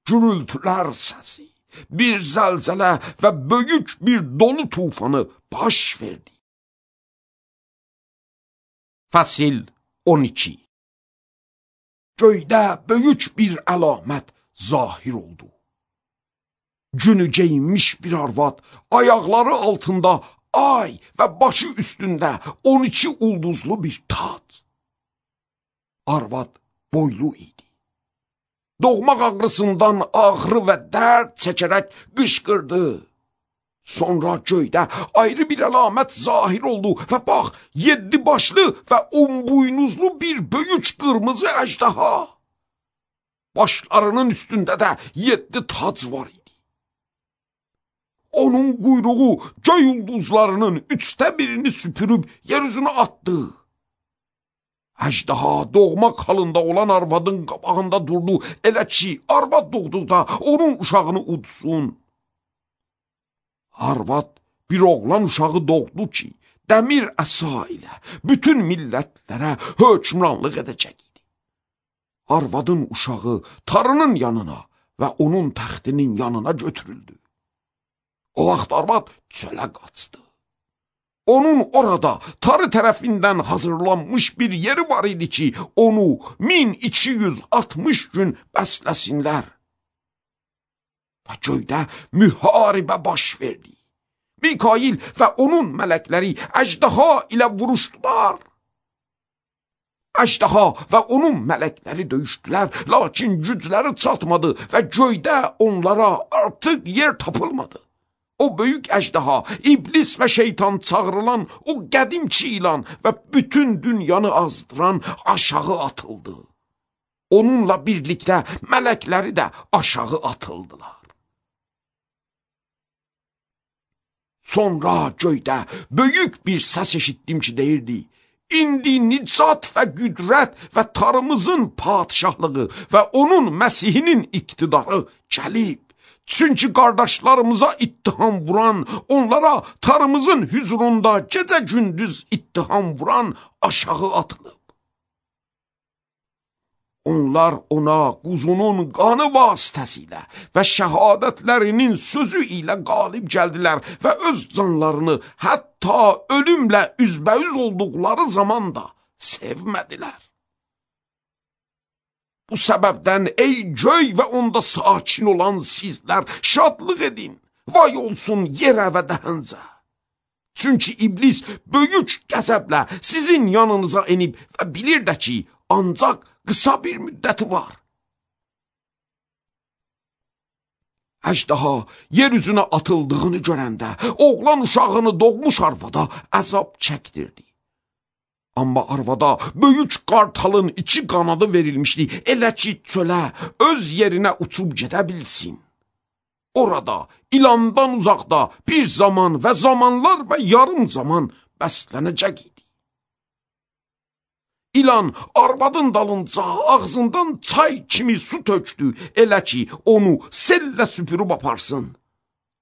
gürültülər səsi, bir zəlzələ və böyük bir dolu tufanı baş verdi. Fəsil on iki. Göydə böyük bir əlamət zahir oldu. Günü geyinmiş bir arvad, ayaqları altında ay və başı üstündə on iki ulduzlu bir tac. Arvad boylu idi. Doğmaq ağrısından ağrı və dərd çəkərək qışqırdı. Sonra göydə ayrı bir əlamət zahir oldu və bax, yeddi başlı və on buynuzlu bir böyük qırmızı əjdaha. Başlarının üstündə də yeddi tac var idi. Onun quyruğu göy ulduzlarının üçdə birini süpürüb yeryüzünə atdı. Əjdaha doğmaq halında olan arvadın qabağında durdu, elə ki, arvad doğduqda onun uşağını udsun. Arvad bir oğlan uşağı doğdu ki, dəmir əsa ilə bütün millətlərə hökmranlıq edəcək idi. Arvadın uşağı Tanrının yanına və onun təxtinin yanına götürüldü. O vaxt arvad çölə qaçdı. Onun orada Tanrı tərəfindən hazırlanmış bir yeri var idi ki, onu min iki yüz altmış gün bəsləsinlər. Və göydə müharibə baş verdi. Mikail və onun mələkləri əjdaha ilə vuruşdular. Əjdaha və onun mələkləri döyüşdülər, lakin gücləri çatmadı və göydə onlara artıq yer tapılmadı. O böyük əjdaha, iblis və şeytan çağrılan o qədimki ilan və bütün dünyanı azdıran aşağı atıldı. Onunla birlikdə mələkləri də aşağı atıldılar. Sonra göydə böyük bir səs eşitdim ki, deyirdi, İndi nicat və qüdrət və Tanrımızın padişahlığı və onun Məsihinin iqtidarı gəlib. Çünki qardaşlarımıza ittiham vuran, onlara Tanrımızın hüzurunda gecə-gündüz ittiham vuran aşağı atılıb. Onlar ona quzunun qanı vasitəsilə və şəhadətlərinin sözü ilə qalib gəldilər və öz canlarını hətta ölümlə üzbəüz olduqları zaman da sevmədilər. Bu səbəbdən ey göy və onda sakin olan sizlər şadlıq edin, vay olsun yerə və dəhəncə. Çünki iblis böyük qəzəblə sizin yanınıza enib və bilir də ki, ancaq qısa bir müddəti var. Əjdaha yer üzünə atıldığını görəndə oğlan uşağını doğmuş arvada əzab çəkdirdi. Amma arvada böyük qartalın iki qanadı verilmişdi, elə ki çölə öz yerinə uçub gedə bilsin. Orada, ilandan uzaqda bir zaman və zamanlar və yarım zaman bəslənəcək idi. İlan arvadın dalınca ağzından çay kimi su tökdü, elə ki onu sellə süpürüb aparsın.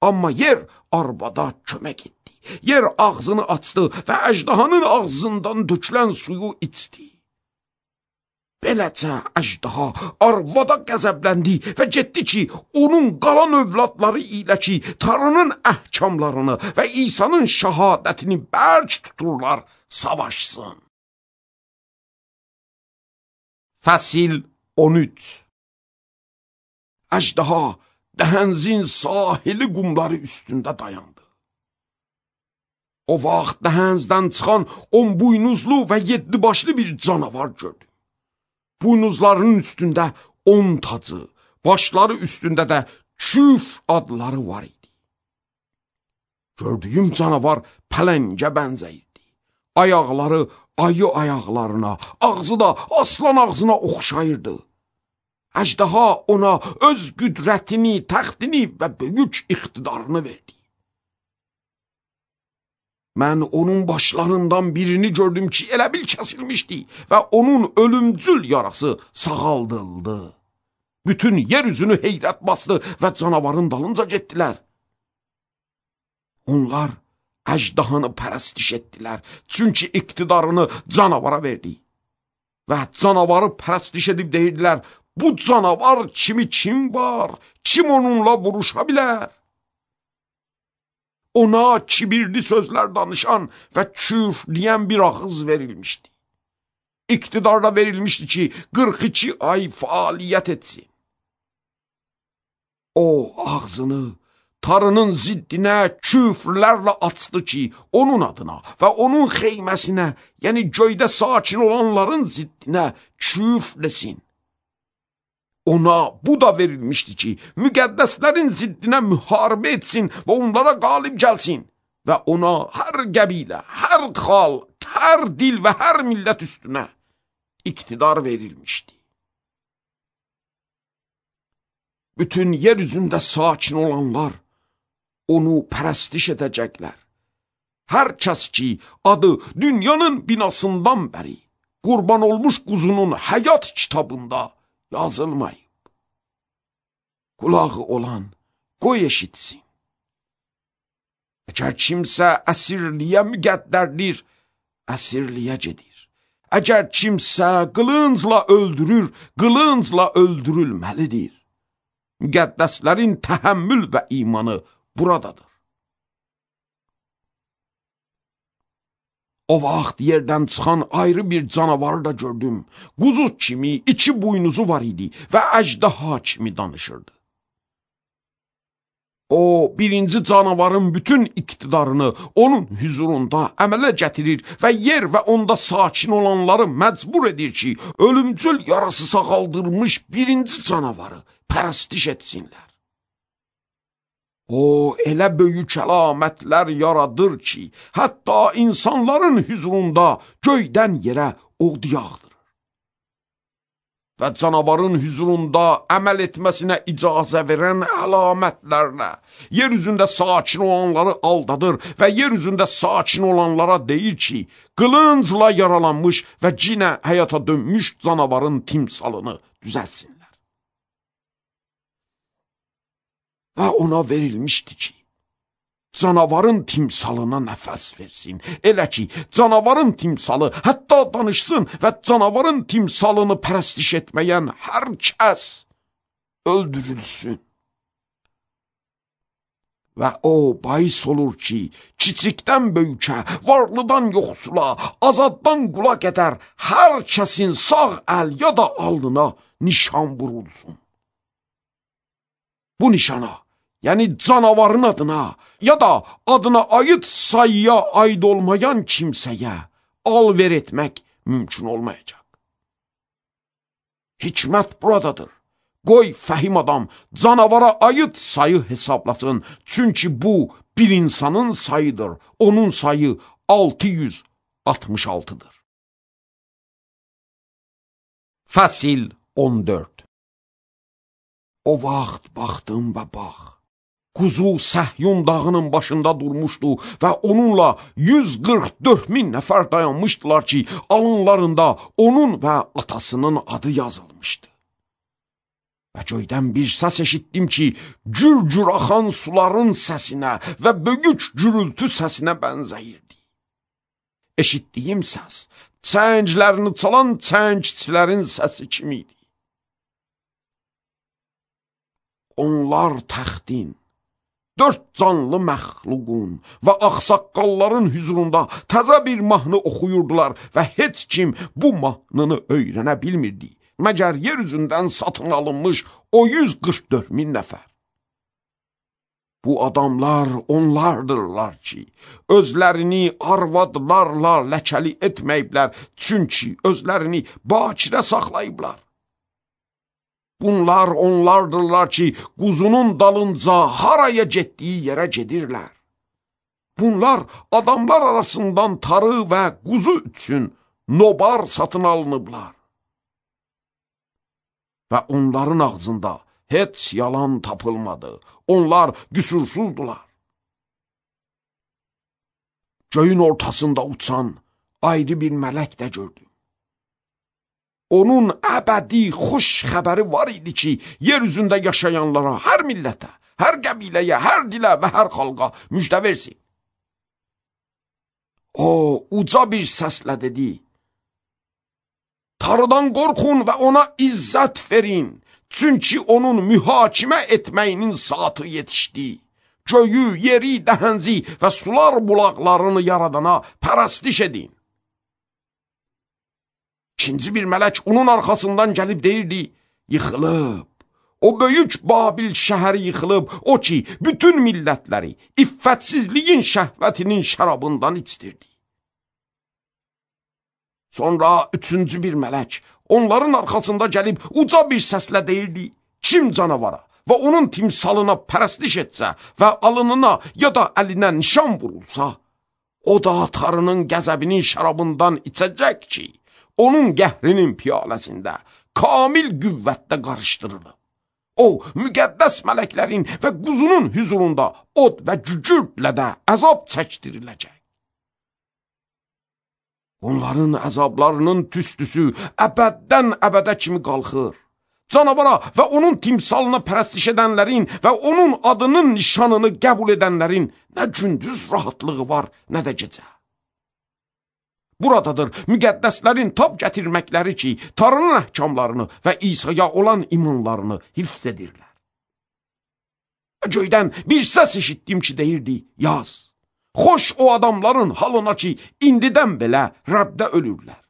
Amma yer arvada kömək etdi. Yer ağzını açdı və əjdahanın ağzından dökülən suyu içdi. Beləcə əjdaha arvada qəzəbləndi və getdi ki, onun qalan övladları ilə ki, Tanrının əhkamlarını və İsa'nın şəhadətini bərk tuturlar, savaşsın. Fəsil on üç. Əjdaha dəhənzin sahili qumları üstündə dayandı. O vaxt dəhənzdən çıxan on buynuzlu və yeddi başlı bir canavar gördüm. Buynuzlarının üstündə on tacı, başları üstündə də küf adları var idi. Gördüyüm canavar pələngə bənzəyirdi. Ayaqları ayı ayaqlarına, ağzı da aslan ağzına oxşayırdı. Əjdaha ona öz qüdrətini, təxtini və böyük iqtidarını verdi. Mən onun başlarından birini gördüm ki, elə bil kəsilmişdi və onun ölümcül yarası sağaldıldı. Bütün yer üzünü heyrət bastı və canavarın dalınca getdilər. Onlar əjdahanı pərəstiş etdilər, çünki iqtidarını canavara verdi. Və canavarı pərəstiş edib deyirdilər, bu canavar kimi kim var, kim onunla vuruşa bilər? Ona kibirli sözlər danışan və küfrləyən bir ağız verilmişdi. İqtidarda verilmişdi ki, qırx iki ay fəaliyyət etsin. O ağzını Tanrının ziddinə küfrlərlə açdı ki, onun adına və onun xeyməsinə, yəni göydə sakin olanların ziddinə küfrləsin. Ona bu da verilmişdi ki, müqəddəslərin ziddinə müharibə etsin və onlara qalib gəlsin. Və ona hər qəbilə, hər xalq, hər dil və hər millət üstünə iqtidar verilmişdi. Bütün yer üzündə sakin olanlar onu pərəstiş edəcəklər. Hər kəs ki, adı dünyanın binasından bəri qurban olmuş quzunun həyat kitabında yazılmayıb. Qulağı olan qoy eşitsin. Əgər kimsə əsirliyə müqəddərdir, əsirliyə gedir. Əgər kimsə qılıncla öldürür, qılıncla öldürülməlidir. Müqəddəslərin təhəmmül və imanı buradadır. O vaxt yerdən çıxan ayrı bir canavarı da gördüm. Quzu kimi iki buynuzu var idi və əjdaha kimi danışırdı. O, birinci canavarın bütün iqtidarını onun hüzurunda əmələ gətirir və yer və onda sakin olanları məcbur edir ki, ölümcül yarası sağaldırmış birinci canavarı pərəstiş etsinlər. O, elə böyük əlamətlər yaradır ki, hətta insanların hüzurunda göydən yerə od yağdırır. Və canavarın hüzurunda əməl etməsinə icazə verən əlamətlərlə yer üzündə sakin olanları aldadır və yer üzündə sakin olanlara deyir ki, qılıncla yaralanmış və cinə həyata dönmüş canavarın timsalını düzəlsinlər. Və ona verilmişdi ki, canavarın timsalına nəfəs versin. Elə ki, canavarın timsalı hətta danışsın və canavarın timsalını pərəstiş etməyən hər kəs öldürülsün. Və o bahis olur ki, kiçikdən böyükə, varlıdan yoxsula, azaddan qula qədər hər kəsin sağ əl ya da alnına nişan vurulsun. Bu nişana, yəni canavarın adına ya da adına aid sayıya aid olmayan kimsəyə alver etmək mümkün olmayacaq. Hikmət buradadır. Qoy fəhim adam canavara aid sayı hesablasın, çünki bu bir insanın sayıdır, onun sayı altı yüz altmış altıdır. Fəsil on dörd. O vaxt baxdım və bax, quzu Səhyun dağının başında durmuşdu və onunla yüz qırx dörd min nəfər dayanmışdılar ki, alınlarında onun və atasının adı yazılmışdı. Və göydən bir səs eşitdim ki, cür-cür axan suların səsinə və böyük gürültü səsinə bənzəyirdi. Eşitdiyim səs, çənglərini çalan çəngçilərin səsi kimi idi. Onlar təxtin, dörd canlı məxluqun və ağsaqqalların hüzurunda təzə bir mahnı oxuyurdular və heç kim bu mahnını öyrənə bilmirdi, məgər yer üzündən satın alınmış o yüz qırx dörd min nəfər. Bu adamlar onlardırlar ki, özlərini arvadlarla ləkəli etməyiblər, çünki özlərini bakirə saxlayıblar. Bunlar onlardırlar ki, quzunun dalınca haraya getdiyi yerə gedirlər. Bunlar adamlar arasından tarı və quzu üçün nobar satın alınıblar. Və onların ağzında heç yalan tapılmadı. Onlar qüsursuzdular. Göyün ortasında uçan ayrı bir mələk də gördüm. Onun əbədi xoş xəbəri var idi ki, yer üzündə yaşayanlara, hər millətə, hər qəbiləyə, hər dilə və hər xalqa müjdə versin. O, uca bir səslə dedi, Tanrıdan qorxun və ona izzət verin, çünki onun mühakimə etməyinin saatı yetişdi. Göyü, yeri, dəhənzi və sular bulaqlarını yaradana pərəstiş edin. İkinci bir mələk onun arxasından gəlib deyirdi, yıxılıb, o böyük Babil şəhəri yıxılıb, o ki, bütün millətləri iffətsizliyin şəhvətinin şərabından içdirdi. Sonra üçüncü bir mələk onların arxasında gəlib uca bir səslə deyirdi, kim canavara və onun timsalına pərəstiş etsə və alınına ya da əlinə nişan vurulsa, o da Tanrının qəzəbinin şərabından içəcək ki, onun qəhrinin piyaləsində kamil qüvvətdə qarışdırılıb. O, müqəddəs mələklərin və quzunun hüzurunda od və cücürdlə də əzab çəkdiriləcək. Onların əzablarının tüstüsü əbəddən əbədə kimi qalxır. Canavara və onun timsalına pərəstiş edənlərin və onun adının nişanını qəbul edənlərin nə gündüz rahatlığı var, nə də gecə. Buradadır müqəddəslərin tab gətirməkləri ki, Tanrının əhkamlarını və İsa'ya olan imanlarını hifz edirlər. Göydən bir səs eşitdim ki, deyirdi, yaz. Xoş o adamların halına ki, indidən belə Rəbdə ölürlər.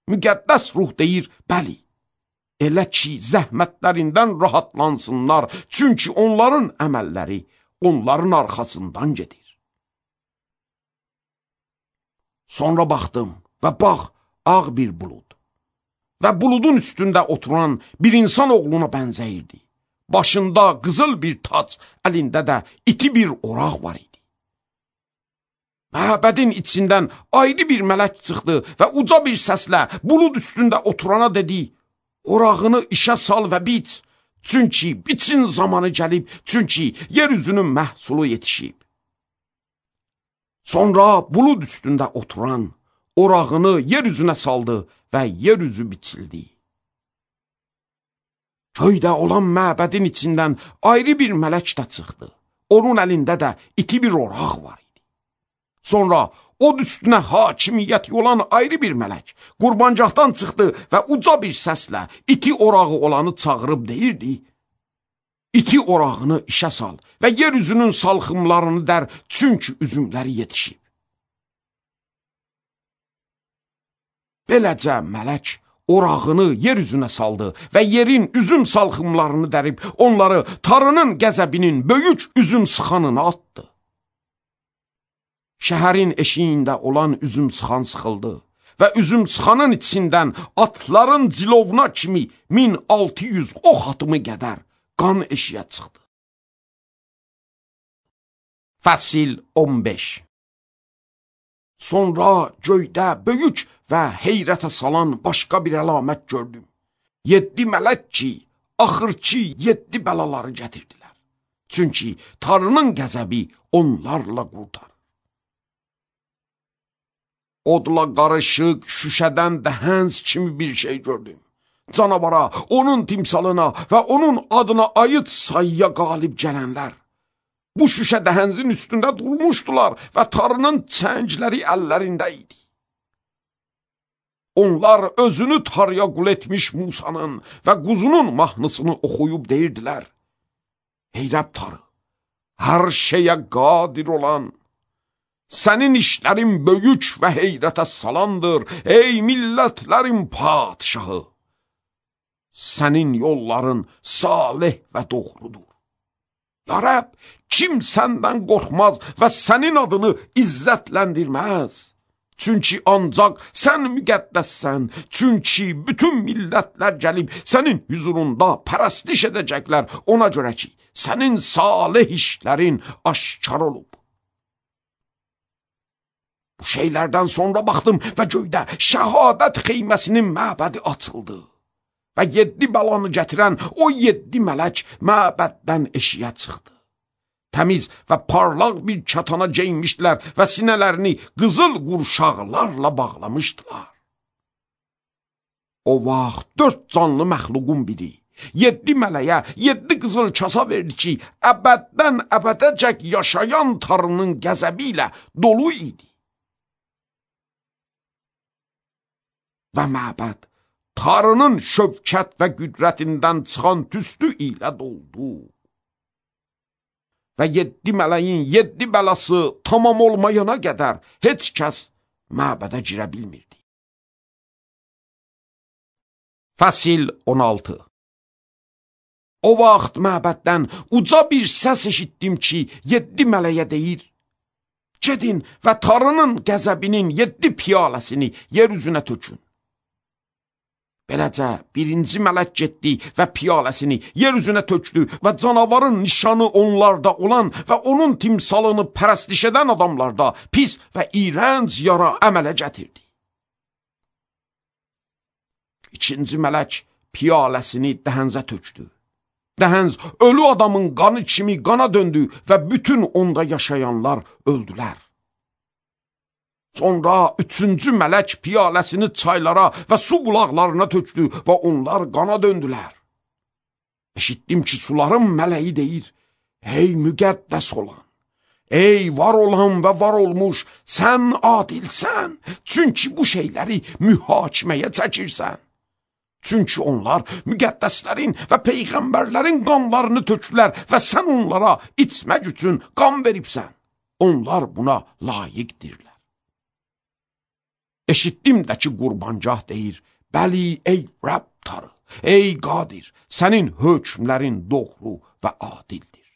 Müqəddəs ruh deyir, bəli, elə ki, zəhmətlərindən rahatlansınlar, çünki onların əməlləri onların arxasından gedir. Sonra baxdım və bax, ağ bir bulud və buludun üstündə oturan bir insan oğluna bənzəyirdi. Başında qızıl bir tac, əlində də iti bir oraq var idi. Məbədin içindən ayrı bir mələk çıxdı və uca bir səslə bulud üstündə oturana dedi, orağını işə sal və biç, çünki biçin zamanı gəlib, çünki yer üzünün məhsulu yetişib. Sonra bulud üstündə oturan orağını yer üzünə saldı və yer üzü biçildi. Göydə olan məbədin içindən ayrı bir mələk də çıxdı. Onun əlində də iti bir oraq var idi. Sonra od üstünə hakimiyyət olan ayrı bir mələk qurbancaqdan çıxdı və uca bir səslə iti orağı olanı çağırıb deyirdi, İti orağını işə sal və yer üzünün salxımlarını dər, çünki üzümləri yetişib. Beləcə mələk orağını yer üzünə saldı və yerin üzüm salxımlarını dərib, onları Tanrının qəzəbinin böyük üzüm sıxanına atdı. Şəhərin eşiyində olan üzüm sıxan sıxıldı və üzüm sıxanın içindən atların cilovuna kimi min altı yüz ox atımı qədər qan eşiyə çıxdı. Fəsil on beş. Sonra göydə böyük və heyrətə salan başqa bir əlamət gördüm. yeddi mələk ki, axırki yeddi bəlaları gətirdilər. Çünki Tanrının qəzəbi onlarla qurtarır. Odla qarışıq, şüşədən dəhənc kimi bir şey gördüm. Canavara, onun timsalına və onun adına aid sayıya qalib gələnlər bu şüşə dəhəncin üstündə durmuşdular və Tanrının çəngləri əllərində idi. Onlar özünü Tanrıya qul etmiş Musanın və quzunun mahnısını oxuyub deyirdilər: Ey Rəbb Tanrı, hər şeyə qadir olan, sənin işlərin böyük və heyrətə salandır, ey millətlərin padişahı. Sənin yolların salih və doğrudur. Ya Rəbb, kim səndən qorxmaz və sənin adını izzətləndirməz? Çünki ancaq sən müqəddəssən, çünki bütün millətlər gəlib sənin huzurunda pərəstiş edəcəklər, ona görə ki, sənin salih işlərin aşkar olub. Bu şeylərdən sonra baxdım və göydə şəhadət xeyməsinin məbədi açıldı. Və yeddi bəlanı gətirən o yeddi mələk məbəddən eşiyə çıxdı. Təmiz və parlaq bir çatana geyinmişdilər və sinələrini qızıl qurşaqlarla bağlamışdılar. O vaxt dörd canlı məxluqun biri yeddi mələyə yeddi qızıl kasa verdi ki, əbəddən əbədəcək yaşayan Tanrının qəzəbi ilə dolu idi. Və məbəd Tanrının şövkət və qüdrətindən çıxan tüstü ilə doldu. Və yeddi mələyin yeddi bəlası tamam olmayana qədər heç kəs məbədə girə bilmirdi. Fəsil on altı. O vaxt məbəddən uca bir səs eşitdim ki, yeddi mələyə deyir: Gedin və Tanrının qəzəbinin yeddi piyaləsini yer üzünə tökün. Beləcə birinci mələk getdi və piyaləsini yer üzünə tökdü və canavarın nişanı onlarda olan və onun timsalını pərəstiş edən adamlarda pis və iyrənc yara əmələ gətirdi. İkinci mələk piyaləsini dəhəncə tökdü. Dəhənc ölü adamın qanı kimi qana döndü və bütün onda yaşayanlar öldülər. Sonra üçüncü mələk piyaləsini çaylara və su bulaqlarına tökdü və onlar qana döndülər. Eşitdim ki, suların mələyi deyir: Ey müqəddəs olan, ey var olan və var olmuş, sən adilsən, çünki bu şeyləri mühakiməyə çəkirsən. Çünki onlar müqəddəslərin və peyğəmbərlərin qanlarını tökdülər və sən onlara içmək üçün qan veribsən. Onlar buna layiqdirlər. Eşitdim də ki, qurbancah deyir: Bəli, ey Rəbb Tanrı, ey qadir, sənin hökmlərin doğru və adildir.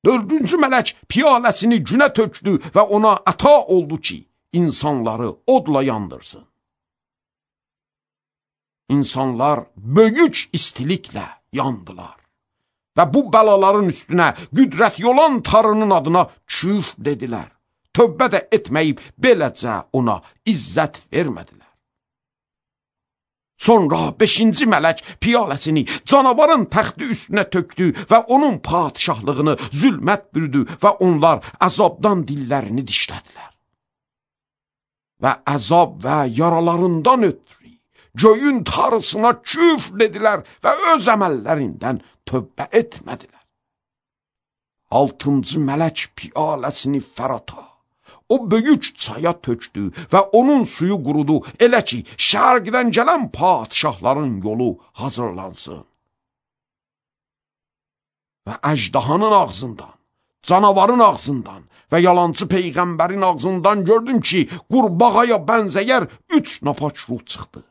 Dördüncü mələk piyaləsini günə tökdü və ona əta oldu ki, insanları odla yandırsın. İnsanlar böyük istiliklə yandılar və bu bəlaların üstünə qüdrət olan Tanrının adına küfr dedilər. Tövbə də etməyib beləcə ona izzət vermədilər. Sonra beşinci mələk piyaləsini canavarın təxti üstünə tökdü və onun padişahlığını zülmət bürüdü və onlar əzabdan dillərini dişlədilər. Və əzab və yaralarından ötürü göyün Tanrısına küfr dedilər və öz əməllərindən tövbə etmədilər. Altıncı mələk piyaləsini Fərata, o böyük çaya tökdü və onun suyu qurudu, elə ki, şərqdən gələn padişahların yolu hazırlansın. Və əjdahanın ağzından, canavarın ağzından və yalancı peyğəmbərin ağzından gördüm ki, qurbağaya bənzəyər üç napaç ruh çıxdı.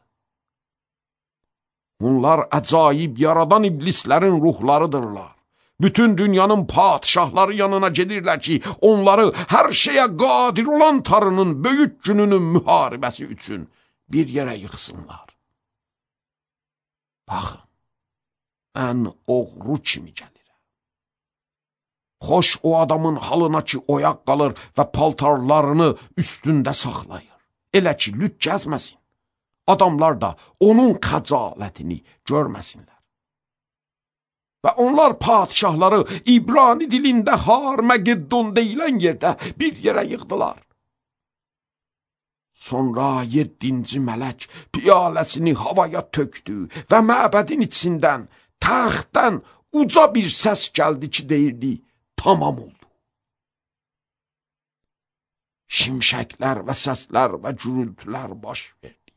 Bunlar əcaib yaradan iblislərin ruhlarıdırlar. Bütün dünyanın padişahları yanına gedirlər ki, onları hər şeyə qadir olan Tanrının böyük gününün müharibəsi üçün bir yerə yıxsınlar. Baxın, mən oğru kimi gəlirəm. Xoş o adamın halına ki, oyaq qalır və paltarlarını üstündə saxlayır. Elə ki, lüt gəzməsin. adamlar da onun xəcalətini görməsinlər. Və onlar padişahları İbrani dilində Har-Məgeddon deyilən yerdə bir yerə yığdılar. Sonra yeddinci mələk piyaləsini havaya tökdü və məbədin içindən, təxtdən uca bir səs gəldi ki, deyirdi, tamam oldu. Şimşəklər və səslər və gürültülər baş verdi.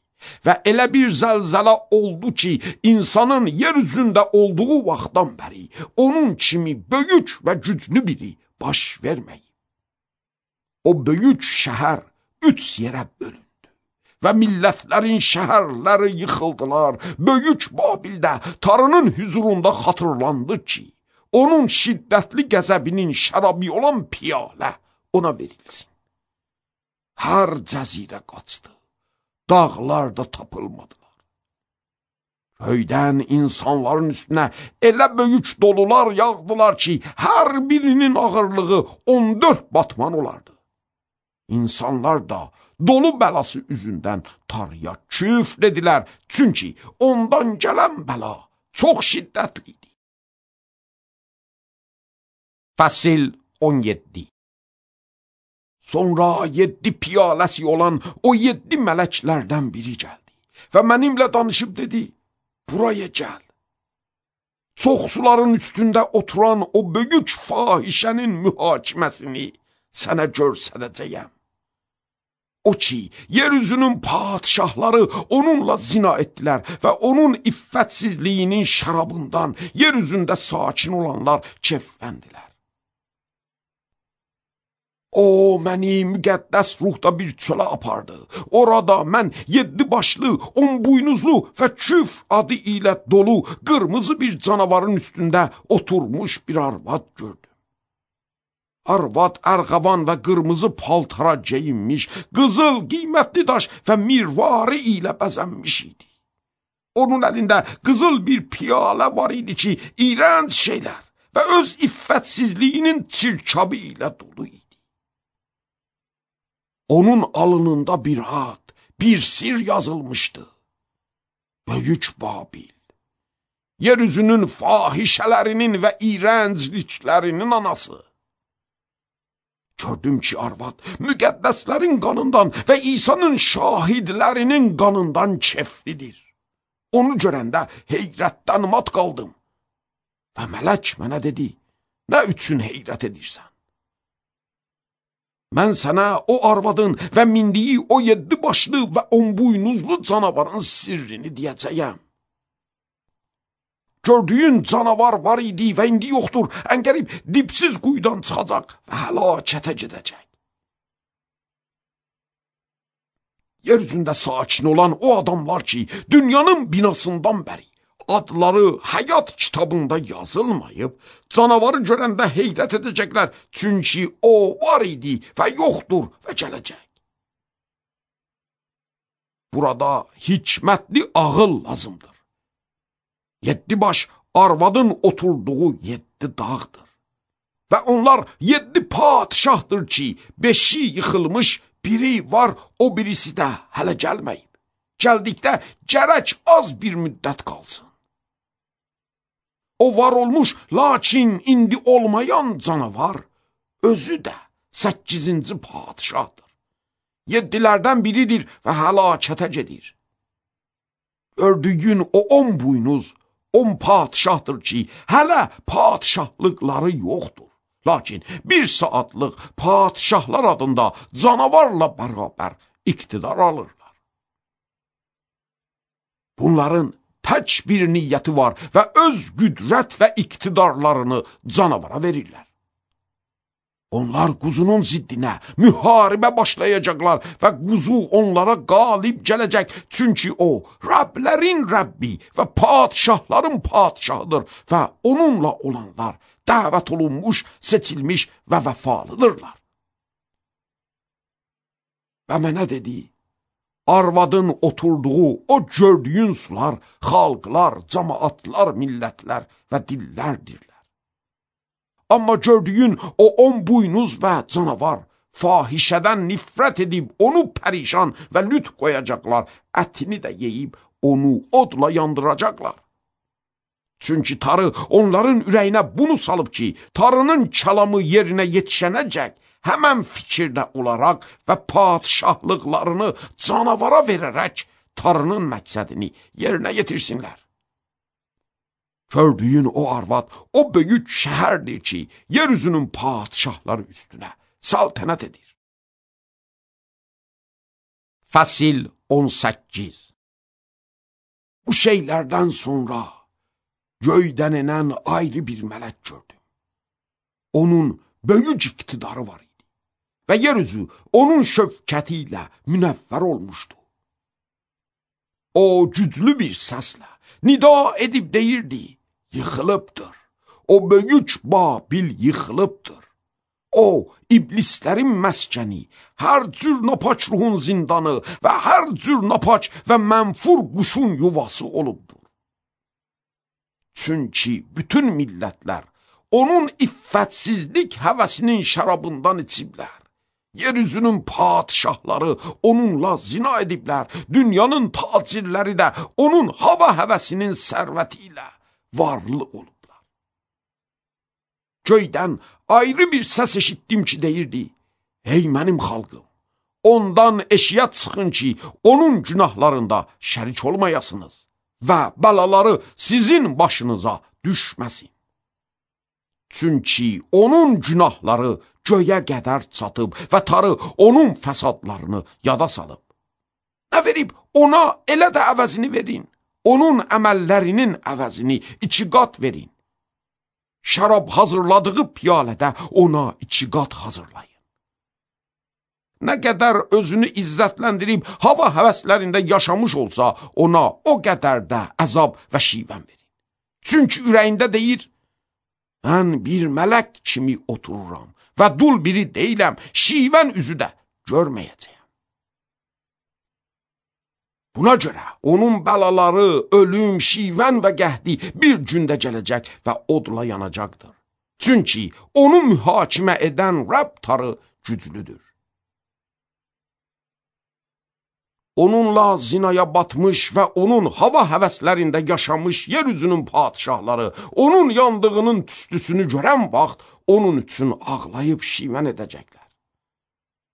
Və elə bir zəlzələ oldu ki, insanın yer üzündə olduğu vaxtdan bəri onun kimi böyük və güclü biri baş verməyib. O böyük şəhər üç yerə bölündü və millətlərin şəhərləri yıxıldılar. Böyük Babildə Tanrının hüzurunda xatırlandı ki, onun şiddətli qəzəbinin şərabı olan piyalə ona verilsin. Hər cəzirə qaçdı. Dağlar da tapılmadılar. Göydən insanların üstünə elə böyük dolular yağdılar ki, hər birinin ağırlığı on dörd batman olardı. İnsanlar da dolu bəlası üzündən Tanrıya küfr edilər, çünki ondan gələn bəla çox şiddətli idi. Fəsil on yeddi. Sonra yeddi piyaləsi olan o yeddi mələklərdən biri gəldi və mənimlə danışıb dedi, buraya gəl. Çox suların üstündə oturan o böyük fahişənin mühakiməsini sənə görsədəcəyəm. O ki, yeryüzünün padişahları onunla zina etdilər və onun iffətsizliyinin şərabından yeryüzündə sakin olanlar keyfləndilər. O, məni müqəddəs ruhda bir çölə apardı. Orada mən yeddi başlı, on buynuzlu və küf adı ilə dolu qırmızı bir canavarın üstündə oturmuş bir arvad gördüm. Arvad ərğavan və qırmızı paltara geyinmiş, qızıl, qiymətli daş və mirvarı ilə bəzənmiş idi. Onun əlində qızıl bir piyalə var idi ki, iyrənc şeylər və öz iffətsizliyinin çirkabı ilə dolu idi. Onun alnında bir ad, bir sir yazılmışdı. Böyük Babil, yeryüzünün fahişələrinin və iyrəncliklərinin anası. Gördüm ki, arvad müqəddəslərin qanından və İsa'nın şahidlərinin qanından keflidir. Onu görəndə heyrətdən mat qaldım. Və mələk mənə dedi, nə üçün heyrət edirsən? Mən sənə o arvadın və mindiyi o yeddi başlı və on buynuzlu canavarın sirrini deyəcəyəm. Gördüyün canavar var idi və indi yoxdur, əngərib dipsiz quyudan çıxacaq və həlakətə gedəcək. Yeryüzündə sakin olan o adamlar ki, dünyanın binasından bəri adları həyat kitabında yazılmayıb, canavarı görəndə heyrət edəcəklər, çünki o var idi və yoxdur və gələcək. Burada hikmətli ağıl lazımdır. Yeddi baş arvadın oturduğu yeddi dağdır. Və onlar yeddi padişahdır ki, beşi yıxılmış, biri var, o birisi də hələ gəlməyib. Gəldikdə gərək az bir müddət qalsın. O var olmuş, lakin indi olmayan canavar özü də səkkizinci padişahdır. Yeddilərdən biridir və həlakətə gedir. Gördüyün o on buynuz, on padişahdır ki, hələ padişahlıqları yoxdur. Lakin bir saatlıq padişahlar adında canavarla bərabər iqtidar alırlar. Bunların tək bir niyyəti var və öz qüdrət və iqtidarlarını canavara verirlər. Onlar quzunun ziddinə müharibə başlayacaqlar və quzu onlara qalib gələcək, çünki o, Rəblərin Rəbbi və padişahların padişahıdır və onunla olanlar dəvət olunmuş, seçilmiş və vəfalıdırlar. Və mənə dedi, arvadın oturduğu o gördüyün sular, xalqlar, cəmaatlar, millətlər və dillərdirlər. Amma gördüyün o on buynuz və canavar fahişədən nifrət edib onu pərişan və lüt qoyacaqlar, ətini də yeyib onu odla yandıracaqlar. Çünki tarı onların ürəyinə bunu salıb ki, tarının kəlamı yerinə yetişənəcək, həmən fikirdə olaraq və padişahlıqlarını canavara verərək tarının məqsədini yerinə yetirsinlər. Gördüyün o arvad, o böyük şəhərdir ki, yeryüzünün padişahları üstünə saltənət edir. Fəsil on səkkiz. Bu şeylərdən sonra göydən enən ayrı bir mələk gördüm. Onun böyük iqtidarı var idi və yeryüzü onun şövkəti ilə münəvvər olmuşdu. O güclü bir səslə nida edib deyirdi, yıxılıbdır. O böyük Babil yıxılıbdır. O, iblislərin məskəni, hər cür napaç ruhun zindanı və hər cür napaç və mənfur quşun yuvası olubdur. Çünki bütün millətlər onun iffətsizlik həvəsinin şərabından içiblər. Yeryüzünün padişahları onunla zina ediblər. Dünyanın tacirləri də onun hava həvəsinin sərvəti ilə varlı olublar. Göydən ayrı bir səs eşitdim ki, deyirdi, ey mənim xalqım, ondan eşiyə çıxın ki, onun günahlarında şərik olmayasınız və bəlaları sizin başınıza düşməsin. Çünki onun günahları göyə qədər çatıb və tarı onun fəsadlarını yada salıb. Nə verib ona elə də əvəzini verin, onun əməllərinin əvəzini iki qat verin. Şərab hazırladığı piyalədə ona iki qat hazırlayın. Nə qədər özünü izzətləndirib hava həvəslərində yaşamış olsa, ona o qədər də əzab və şivən verin. Çünki ürəyində deyir, mən bir mələk kimi otururam və dul biri deyiləm, şivən üzü də görməyəcəyəm. Buna görə onun bəlaları, ölüm, şivən və qəhdi bir gündə gələcək və odla yanacaqdır. Çünki onu mühakimə edən Rəbb tarı güclüdür. Onunla zinaya batmış və onun hava həvəslərində yaşamış yeryüzünün padişahları, onun yandığının tüstüsünü görən vaxt onun üçün ağlayıb şivən edəcəklər.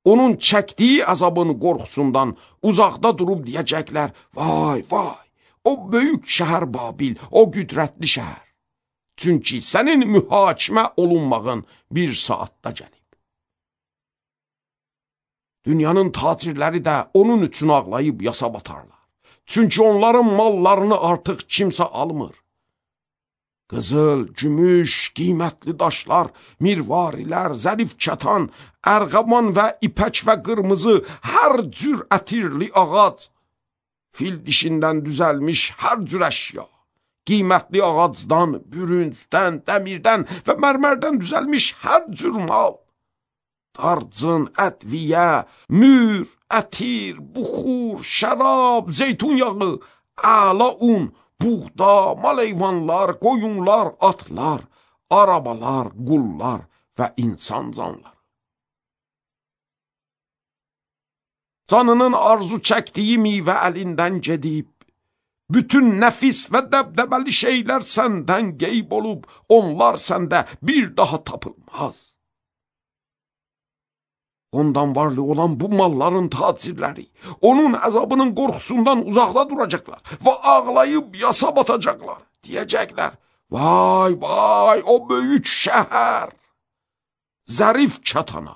Onun çəkdiyi əzabın qorxusundan uzaqda durub deyəcəklər, vay, vay, o böyük şəhər Babil, o qüdrətli şəhər. Çünki sənin mühakimə olunmağın bir saatda gəlib. Dünyanın tacirləri də onun üçün ağlayıb yasa batarlar. Çünki onların mallarını artıq kimsə almır. Qızıl, gümüş, qiymətli daşlar, mirvarilər, zərif kətan, ərğaman və ipək və qırmızı, hər cür ətirli ağac, fil dişindən düzəlmiş hər cür əşya, qiymətli ağacdan, bürüncdən, dəmirdən və mərmərdən düzəlmiş hər cür mal, darcın, ədviyə, mür, ətir, buxur, şərab, zeytun yağı, əla un, buğda, maleyvanlar, qoyunlar, atlar, arabalar, qullar və insan canları. Canının arzu çəkdiyi meyvə əlindən gedib, bütün nəfis və dəbdəbəli şeylər səndən qeyb olub, onlar səndə bir daha tapılmaz. Ondan varlı olan bu malların tacirləri, onun əzabının qorxusundan uzaqda duracaqlar və ağlayıb yasa batacaqlar. Deyəcəklər, vay, vay, o böyük şəhər, zərif çatana,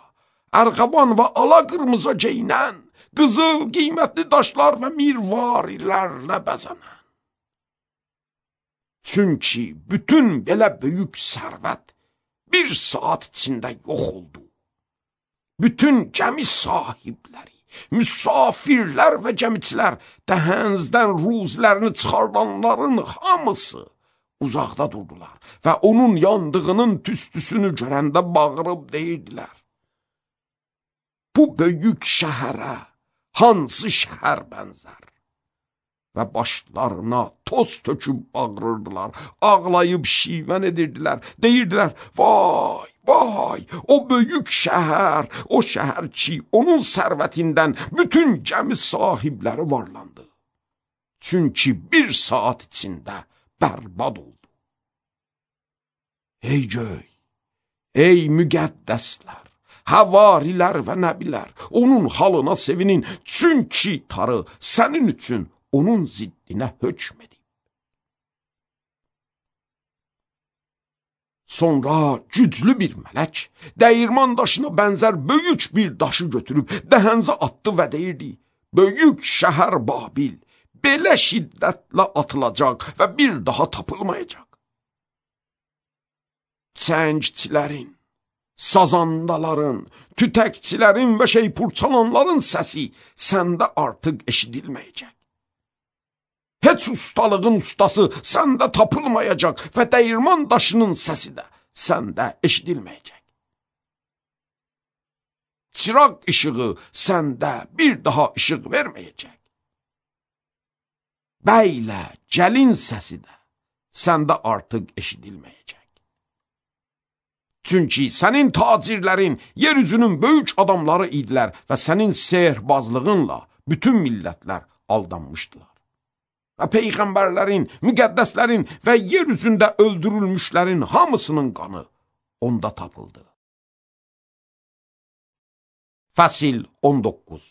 ərğaban və ala qırmızı geyinən, qızıl, qiymətli daşlar və mirvarilərlə bəzənən. Çünki bütün belə böyük sərvət bir saat içində yox oldu. Bütün gəmi sahibləri, müsafirlər və gəmiçilər, dəhənzdən ruzlərini çıxardanların hamısı uzaqda durdular və onun yandığının tüstüsünü görəndə bağırıb deyirdilər, bu böyük şəhərə hansı şəhər bənzər? Və başlarına toz töküb bağırırdılar, ağlayıb şivən edirdilər, deyirdilər, vay, Vay, o böyük şəhər, o şəhər ki, onun sərvətindən bütün gəmi sahibləri varlandı. Çünki bir saat içində bərbad oldu. Ey göy, ey müqəddəslər, həvarilər və nəbilər, onun halına sevinin, çünki tarı sənin üçün onun ziddinə hökm edib. Sonra güclü bir mələk dəyirman daşına bənzər böyük bir daşı götürüb dəhənzə atdı və deyirdi: böyük şəhər Babil belə şiddətlə atılacaq və bir daha tapılmayacaq. Çəngçilərin, sazandaların, tütəkçilərin və şeypurçalanların səsi səndə artıq eşidilməyəcək. Heç ustalığın ustası səndə tapılmayacaq və dəyirman daşının səsi də səndə eşidilməyəcək. Çıraq işığı səndə bir daha işıq verməyəcək. Bəylə gəlin səsi də səndə artıq eşidilməyəcək. Çünki sənin tacirlərin yeryüzünün böyük adamları idilər və sənin sehrbazlığınla bütün millətlər aldanmışdılar. Və peyğəmbərlərin, müqəddəslərin və yer üzündə öldürülmüşlərin hamısının qanı onda tapıldı. Fəsil on doqquz.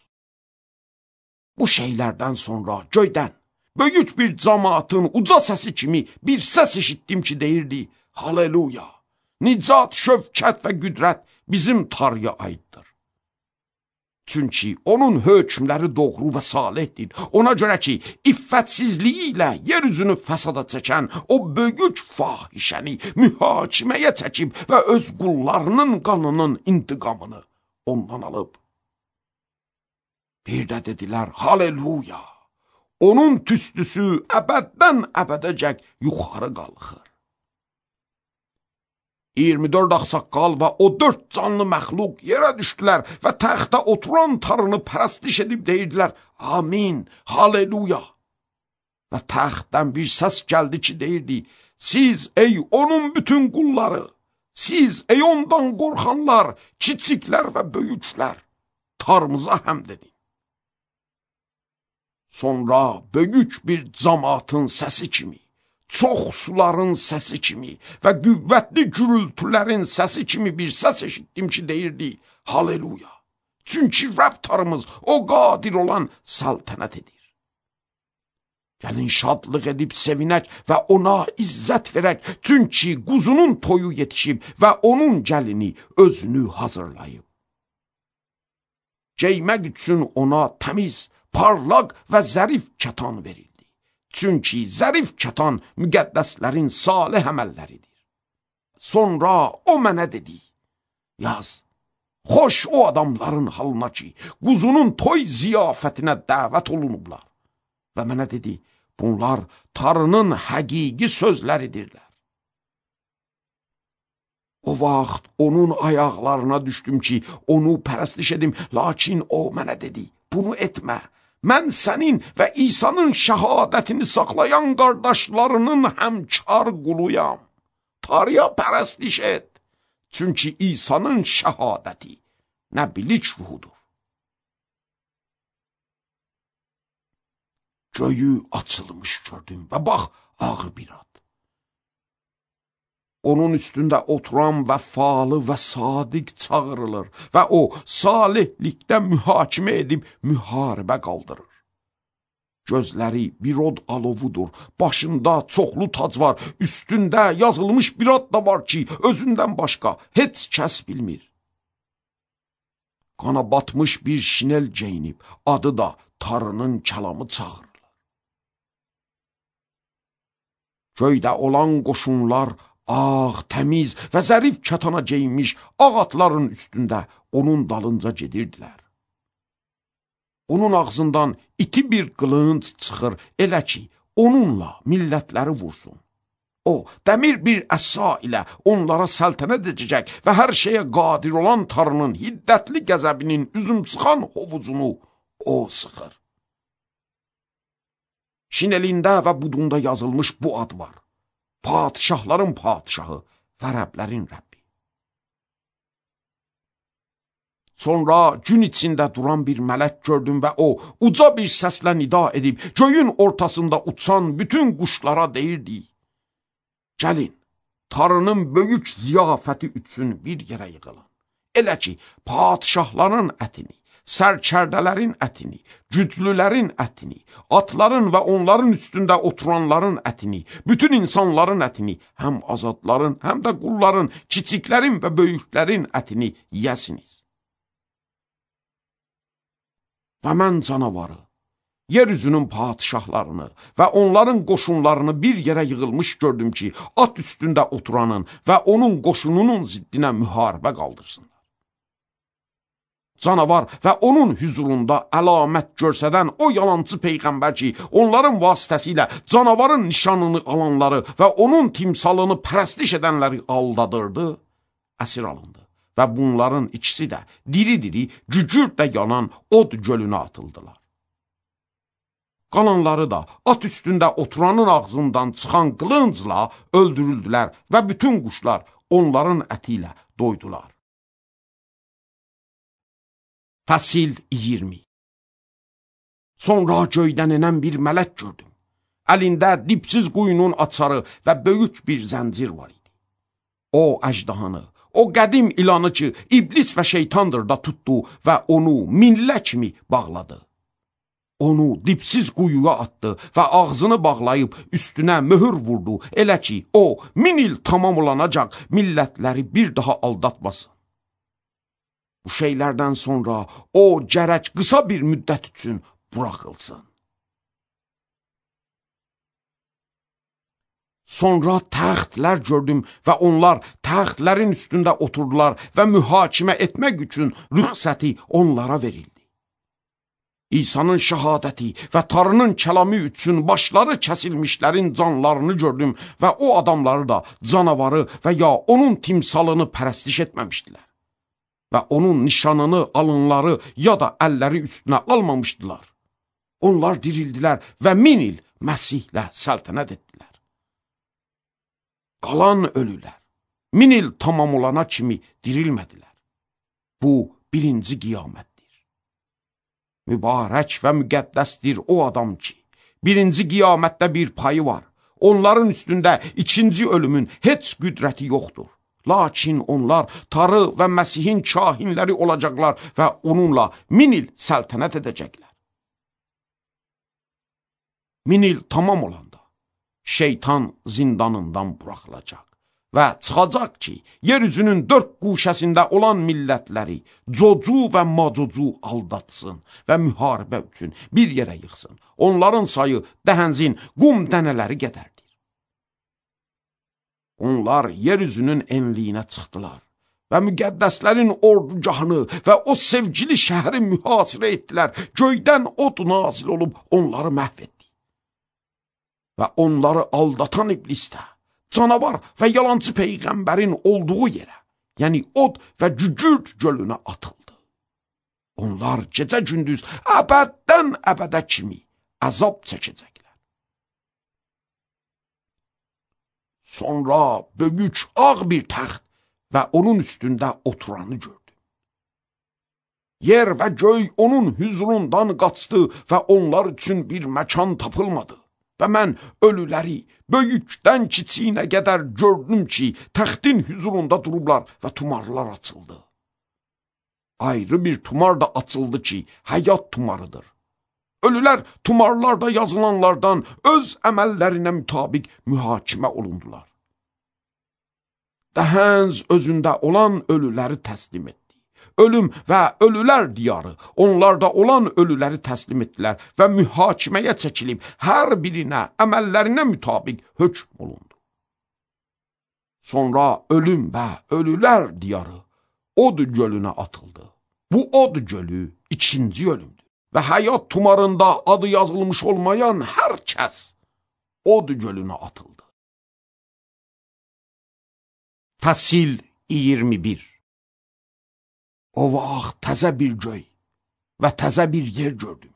Bu şeylərdən sonra göydən böyük bir cəmaatın uca səsi kimi bir səs eşitdim ki, deyirdi: Haleluya! Nicat, şövkət və qüdrət bizim Tanrıya aiddir. Çünki onun hökmləri doğru və salihdir. Ona görə ki, iffətsizliyi ilə yeryüzünü fəsada çəkən o böyük fahişəni mühakiməyə çəkib və öz qullarının qanının intiqamını ondan alıb. Bir də dedilər: Haleluya! Onun tüstüsü əbəddən əbədəcək yuxarı qalxır. iyirmi dörd ağsaqqal və o dörd canlı məxluq yerə düşdülər və təxtə oturan Tanrını pərəstiş edib deyirdilər: Amin, haleluya. Və təxtdən bir səs gəldi ki, deyirdi: Siz ey onun bütün qulları, siz ey ondan qorxanlar, kiçiklər və böyüklər, Tanrımıza həmd edin. Sonra böyük bir cəmaatın səsi kimi, çox suların səsi kimi və qüvvətli gürültülərin səsi kimi bir səs eşitdim ki, deyirdi: Haleluya! Çünki Rəbb Tanrımız o qadir olan səltənət edir. Gəlin şadlıq edib sevinək və ona izzət verək, çünki quzunun toyu yetişib və onun gəlini özünü hazırlayıb. Geymək üçün ona təmiz, parlaq və zərif kətan verildi. Çünki zərif kətan müqəddəslərin salih əməlləridir. Sonra o mənə dedi: Yaz, xoş o adamların halına ki, quzunun toy ziyafətinə dəvət olunublar. Və mənə dedi: Bunlar Tanrının həqiqi sözləridirlər. O vaxt onun ayaqlarına düşdüm ki, onu pərəstiş edim, lakin o mənə dedi: Bunu etmə. Mən sənin və İsa'nın şəhadətini saxlayan qardaşlarının həmkar quluyam. Tanrıya pərəstiş et. Çünki İsa'nın şəhadəti nə bilik ruhudur. Göyü açılmış gördüm və bax, ağır bir ad. Onun üstündə oturan vəfalı və sadiq çağırılır və o salihlikdə mühakimə edib müharibə qaldırır. Gözləri bir od alovudur, başında çoxlu tac var, üstündə yazılmış bir ad da var ki, özündən başqa heç kəs bilmir. Qana batmış bir şinel geyinib, adı da Tanrının kəlamı çağırılır. Göydə olan qoşunlar ağ, təmiz və zərif kətana geyinmiş ağ atların üstündə onun dalınca gedirdilər. Onun ağzından iti bir qılınc çıxır, elə ki, onunla millətləri vursun. O, dəmir bir əsa ilə onlara səltənət edəcək və hər şeyə qadir olan Tanrının hiddətli qəzəbinin üzüm sıxan hovuzunu o sıxır. Şinelində və budunda yazılmış bu ad var: Padişahların padişahı və Rəblərin Rəbbi. Sonra gün içində duran bir mələk gördüm və o, uca bir səslə nida edib, göyün ortasında uçan bütün quşlara deyirdi: Gəlin, Tanrının böyük ziyafəti üçün bir yerə yığılın. Elə ki, padişahların ətini, sərkərdələrin ətini, güclülərin ətini, atların və onların üstündə oturanların ətini, bütün insanların ətini, həm azadların, həm də qulların, kiçiklərin və böyüklərin ətini yiyəsiniz. Və mən canavarı, yeryüzünün padişahlarını və onların qoşunlarını bir yerə yığılmış gördüm ki, at üstündə oturanın və onun qoşununun ziddinə müharibə qaldırsınlar. Canavar və onun hüzurunda əlamət görsədən o yalancı peyğəmbər ki, onların vasitəsilə canavarın nişanını alanları və onun timsalını pərəstiş edənləri aldadırdı, əsir alındı. Və bunların ikisi də diri-diri, gücürlə yanan od gölünə atıldılar. Qalanları da at üstündə oturanın ağzından çıxan qılıncla öldürüldülər və bütün quşlar onların əti ilə doydular. Fəsil iyirmi. Sonra göydən enən bir mələk gördüm. Əlində dipsiz quyunun açarı və böyük bir zəncir var idi. O əjdahanı, o qədim ilanı ki, iblis və şeytandır da tutdu və onu minlə kimi bağladı. Onu dipsiz quyuya atdı və ağzını bağlayıb üstünə möhür vurdu, elə ki, o min il tamam olanacaq millətləri bir daha aldatmasın. Bu şeylərdən sonra o gərək qısa bir müddət üçün buraxılsın. Sonra təxtlər gördüm və onlar təxtlərin üstündə oturdular və mühakimə etmək üçün rüxsəti onlara verildi. İsa'nın şəhadəti və Tanrının kəlamı üçün başları kəsilmişlərin canlarını gördüm və o adamları da canavarı və ya onun timsalını pərəstiş etməmişdilər. Və onun nişanını alınları ya da əlləri üstünə almamışdılar. Onlar dirildilər və min il Məsihlə səltənət etdilər. Qalan ölülər, min il tamam olana kimi dirilmədilər. Bu, birinci qiyamətdir. Mübarək və müqəddəsdir o adam ki, birinci qiyamətdə bir payı var. Onların üstündə ikinci ölümün heç qüdrəti yoxdur. Lakin onlar Tanrı və Məsihin kahinləri olacaqlar və onunla min il səltənət edəcəklər. Min il tamam olanda şeytan zindanından buraxılacaq və çıxacaq ki, yeryüzünün dörd quşəsində olan millətləri Cocu və Macocu aldatsın və müharibə üçün bir yerə yıxsın. Onların sayı dəhənzin qum dənələri qədərdir. Onlar yeryüzünün enliyinə çıxdılar və müqəddəslərin ordugahını və o sevgili şəhəri mühasirə etdilər. Göydən od nazil olub onları məhv etdi. Və onları aldatan iblis də, canavar və yalancı peyğəmbərin olduğu yerə, yəni od və cücür gölünə atıldı. Onlar gecə gündüz əbəddən əbədə kimi əzab çəkəcəklər. Sonra böyük ağ bir təxt və onun üstündə oturanı gördüm. Yer və göy onun hüzurundan qaçdı və onlar üçün bir məkan tapılmadı. Və mən ölüləri böyükdən kiçiyinə qədər gördüm ki, təxtin hüzurunda durublar və tumarlar açıldı. Ayrı bir tumar da açıldı ki, həyat tumarıdır. Ölülər tumarlarda yazılanlardan öz əməllərinə mütabiq mühakimə olundular. Dəhənz özündə olan ölüləri təslim etdi. Ölüm və ölülər diyarı onlarda olan ölüləri təslim etdilər və mühakiməyə çəkilib hər birinə əməllərinə mütabiq hökm olundu. Sonra ölüm və ölülər diyarı od gölünə atıldı. Bu od gölü ikinci ölümdür və həyat tumarında adı yazılmış olmayan hər kəs od gölünə atıldı. Fəsil iyirmi bir. O vaxt təzə bir göy və təzə bir yer gördüm.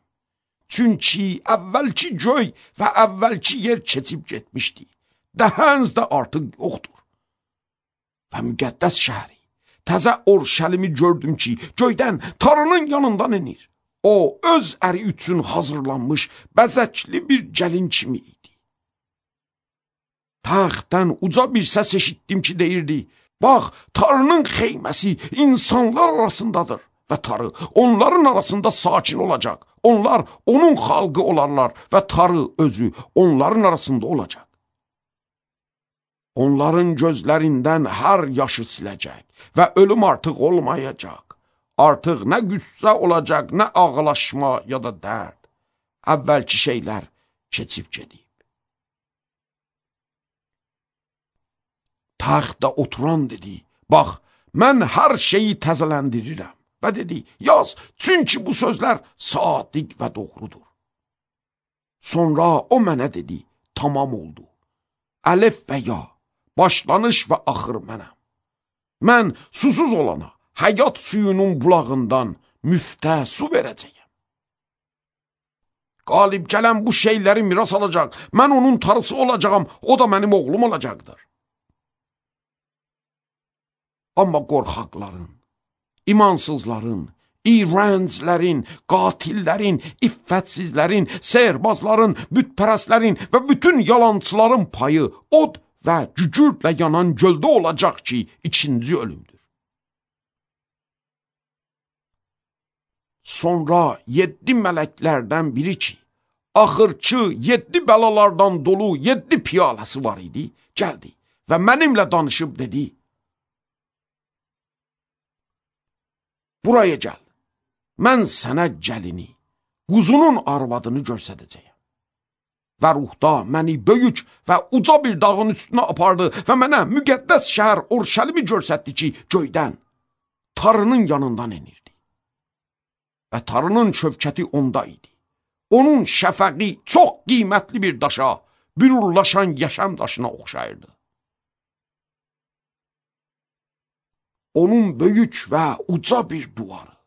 Çünki əvvəlki göy və əvvəlki yer keçib getmişdi. Dəhənz də artıq yoxdur. Və müqəddəs şəhəri, təzə Orşəlimi gördüm ki, göydən tarının yanından enir. O, öz əri üçün hazırlanmış, bəzəkli bir gəlin kimi idi. Taxtdan uca bir səs eşitdim ki, deyirdi, bax, tarının xeyməsi insanlar arasındadır və tarı onların arasında sakin olacaq. Onlar onun xalqı olarlar və tarı özü onların arasında olacaq. Onların gözlərindən hər yaşı siləcək və ölüm artıq olmayacaq. Artıq nə qüssə olacaq, nə ağlaşma ya da dərd. Əvvəlki şeylər keçib gedib. Taxtda oturan dedi, bax, mən hər şeyi təzələndirirəm. Və dedi, yaz, çünki bu sözlər sadiq və doğrudur. Sonra o mənə dedi, tamam oldu. Əlif və ya, başlanış və axır mənəm. Mən susuz olana, həyat suyunun bulağından müftə su verəcəyəm. Qalib gələn bu şeyləri miras alacaq, mən onun tarısı olacağım, o da mənim oğlum olacaqdır. Amma qorxaqların, imansızların, iğrənclərin, qatillərin, iffətsizlərin, sehirbazların, bütpərəstlərin və bütün yalançıların payı od və cücürlə yanan göldə olacaq ki, ikinci ölümdür. Sonra yeddi mələklərdən biri ki, axırçı yeddi bəlalardan dolu yeddi piyaləsi var idi, gəldi və mənimlə danışıb dedi, buraya gəl, mən sənə gəlini, quzunun arvadını görsədəcəyəm. Və ruhda məni böyük və uca bir dağın üstünə apardı və mənə müqəddəs şəhər Orşəlimi görsətdi ki, göydən, tarının yanından enirdi. Və tarının şövkəti onda idi. Onun şəfəqi çox qiymətli bir daşa, bürurlaşan yaşam daşına oxşayırdı. Onun böyük və uca bir duvarı,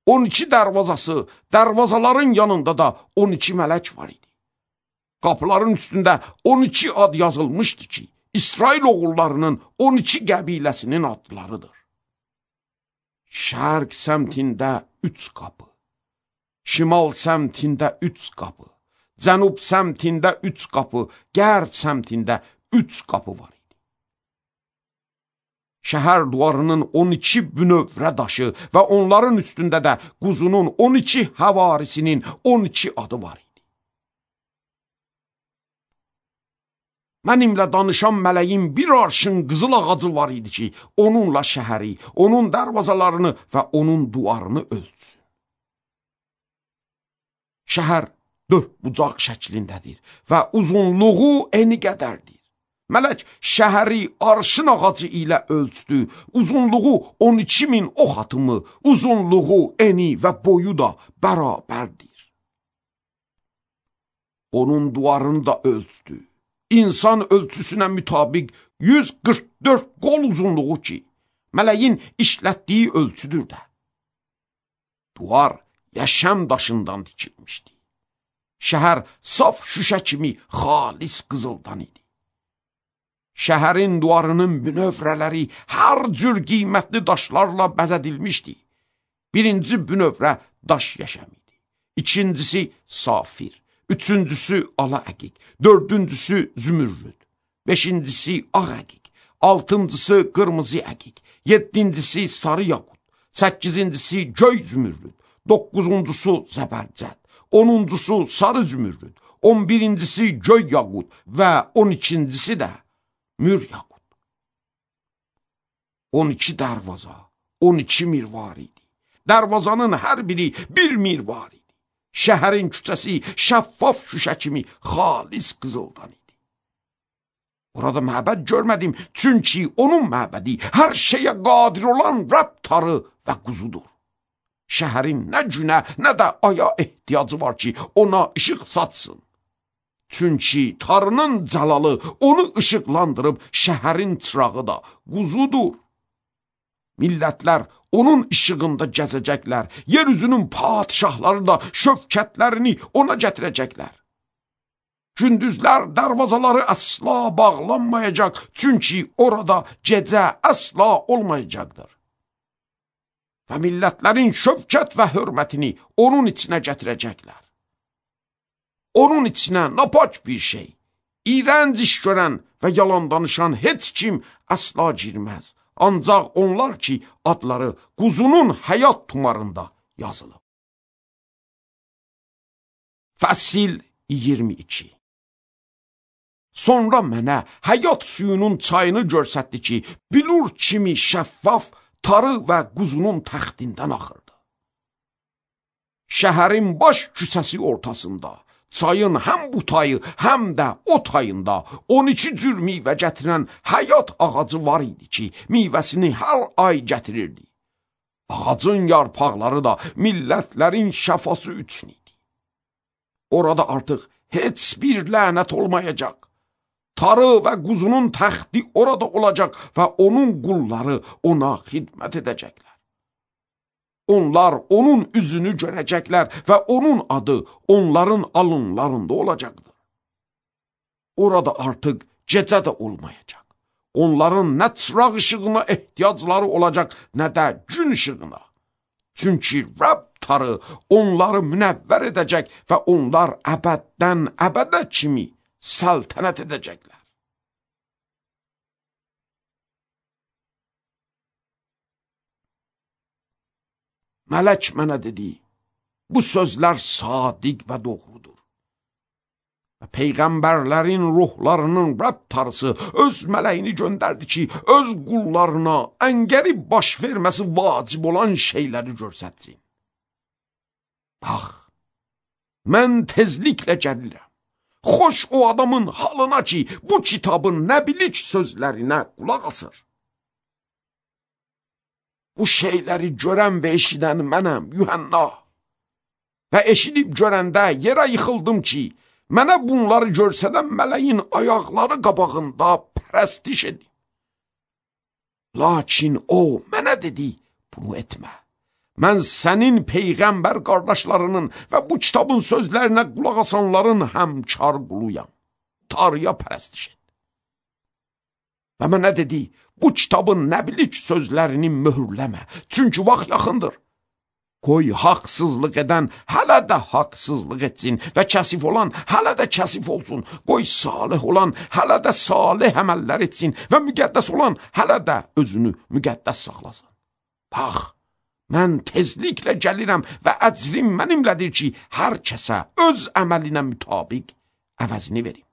on iki dərvazası, dərvazaların yanında da on iki mələk var idi. Qapıların üstündə on iki ad yazılmışdı ki, İsrail oğullarının on iki qəbiləsinin adlarıdır. Şərq səmtində üç qapı, şimal səmtində üç qapı, cənub səmtində üç qapı, qərb səmtində üç qapı var idi. Şəhər duvarının on iki bünövrə daşı və onların üstündə də quzunun on iki həvarisinin on iki adı var idi. Mənimlə danışan mələyin bir arşın qızıl ağacı var idi ki, onunla şəhəri, onun dərvazalarını və onun duvarını ölçsün. Şəhər dörd bucaq şəklindədir və uzunluğu eni qədərdir. Mələk şəhəri arşın ağacı ilə ölçdü, uzunluğu on iki min ox atımı, uzunluğu, eni və boyu da bərabərdir. Onun duvarını da ölçdü. İnsan ölçüsünə mütabiq yüz qırx dörd qol uzunluğu ki, mələyin işlətdiyi ölçüdür də. Duvar yaşam daşından dikilmişdi. Şəhər saf şüşə kimi xalis qızıldan idi. Şəhərin duvarının bünövrələri hər cür qiymətli daşlarla bəzədilmişdi. Birinci bünövrə daş yaşam idi. İkincisi safir. Üçüncüsü ala əqiq, dördüncüsü zümürrüd, beşincisi ağ əqiq, altıncısı qırmızı əqiq, yeddincisi sarı yaqut, səkkizincisi göy zümürrüd, doqquzuncusu zəbərcəd, onuncusu sarı zümürrüd, on birincisi göy yaqut və on ikincisi də mür yaqut. on iki dərvaza, on iki mirvar idi. Dərvazanın hər biri bir mirvar idi. Şəhərin küçəsi şəffaf şüşə kimi xalis qızıldan idi. Orada məbəd görmədim, çünki onun məbədi hər şeyə qadir olan Rəbb tarı və quzudur. Şəhərin nə günə, nə də aya ehtiyacı var ki, ona işıq satsın. Çünki tarının cəlalı onu işıqlandırıb, şəhərin çırağı da quzudur. Millətlər onun işığında gəzəcəklər, yeryüzünün padişahları da şövkətlərini ona gətirəcəklər. Gündüzlər dərvazaları əsla bağlanmayacaq, çünki orada gecə əsla olmayacaqdır. və millətlərin şövkət və hörmətini onun içinə gətirəcəklər. Onun içinə napac bir şey, iğrənc iş görən və yalan danışan heç kim əsla girməz. Ancaq onlar ki, adları quzunun həyat tumarında yazılıb. Fəsil iyirmi iki. Sonra mənə həyat suyunun çayını görsətdi ki, bilur kimi şəffaf, tarı və quzunun təxtindən axırdı. Şəhərin baş küçəsi ortasında, çayın həm bu tayı, həm də o tayında on iki cür meyvə gətirən həyat ağacı var idi ki, meyvəsini hər ay gətirirdi. Ağacın yarpaqları da millətlərin şəfası üçün idi. Orada artıq heç bir lənət olmayacaq. Tarı və quzunun təxti orada olacaq və onun qulları ona xidmət edəcəklər. Onlar onun üzünü görəcəklər və onun adı onların alınlarında olacaqdır. Orada artıq gecə də olmayacaq. Onların nə çıraq işığına ehtiyacları olacaq, nə də gün işığına. Çünki Rəbb tarı onları münəvvər edəcək və onlar əbəddən əbədə kimi səltənət edəcəklər. Mələk mənə dedi, bu sözlər sadiq və doğrudur. Və peyğəmbərlərin ruhlarının Rəbb tarısı öz mələyini göndərdi ki, öz qullarına əngəri baş verməsi vacib olan şeyləri görsətsin. Bax, mən tezliklə gəlirəm. Xoş o adamın halına ki, bu kitabın nəbilik sözlərinə qulaq asır. Bu şeyləri görən və eşidən mənəm, Yuhanna. Və eşidib görəndə yerə yıxıldım ki, mənə bunları görsədən mələyin ayaqları qabağında pərəstiş edim. Lakin o mənə dedi, bunu etmə. Mən sənin peyğəmbər qardaşlarının və bu kitabın sözlərinə qulaq asanların həmkar quluyam. Tarıya pərəstiş et. Və mənə dedi, bu kitabın nəbilik sözlərini möhürləmə, çünki vaxt yaxındır. Qoy haqsızlıq edən hələ də haqsızlıq etsin və kəsif olan hələ də kəsif olsun. Qoy salih olan hələ də salih əməllər etsin və müqəddəs olan hələ də özünü müqəddəs saxlasın. Bax, mən tezliklə gəlirəm və əcrim mənimlədir ki, hər kəsə öz əməlinə mütabiq əvəzini verim.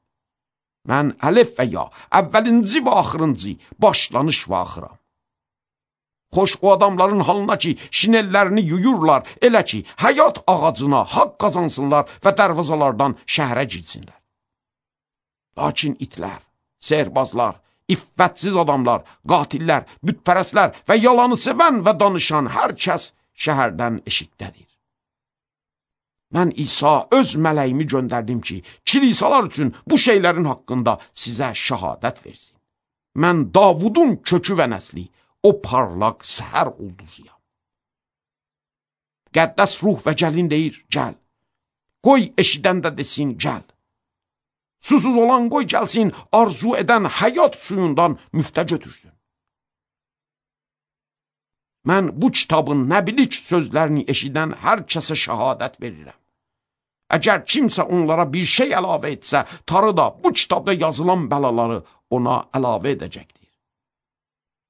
Mən əlif və ya, əvvəlinci və axırıncı, başlanış və axıram. Xoş o adamların halına ki, şinellərini yuyurlar, elə ki, həyat ağacına haqq qazansınlar və dərvazalardan şəhərə girsinlər. Lakin itlər, sehirbazlar, iffətsiz adamlar, qatillər, bütpərəslər və yalanı sevən və danışan hər kəs şəhərdən eşikdədir. Mən İsa öz mələyimi göndərdim ki, kilisalar üçün bu şeylərin haqqında sizə şəhadət versin. Mən Davudun kökü və nəsli, o parlaq səhər ulduzuyam. Qəddəs ruh və gəlin deyir, gəl. Qoy eşidən də desin, gəl. Susuz olan qoy gəlsin, arzu edən həyat suyundan müftə götürsün. Mən bu kitabın nəbilik sözlərini eşidən hər kəsə şəhadət verirəm. Əgər kimsə onlara bir şey əlavə etsə, tarı da bu kitabda yazılan bəlaları ona əlavə edəcəkdir.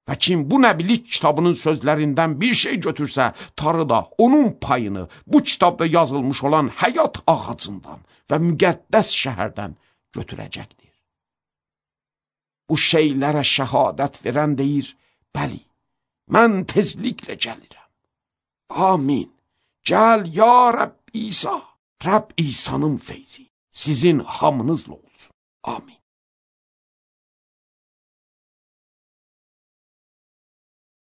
Və kim bu nəbilik kitabının sözlərindən bir şey götürsə, tarı da onun payını bu kitabda yazılmış olan həyat ağacından və müqəddəs şəhərdən götürəcəkdir. Bu şeylərə şəhadət verən deyir, bəli, mən tezliklə gəlirəm. Amin. Gəl ya Rəbb İsa. Rəbb İsa'nın feyzi sizin hamınızla olsun. Amin.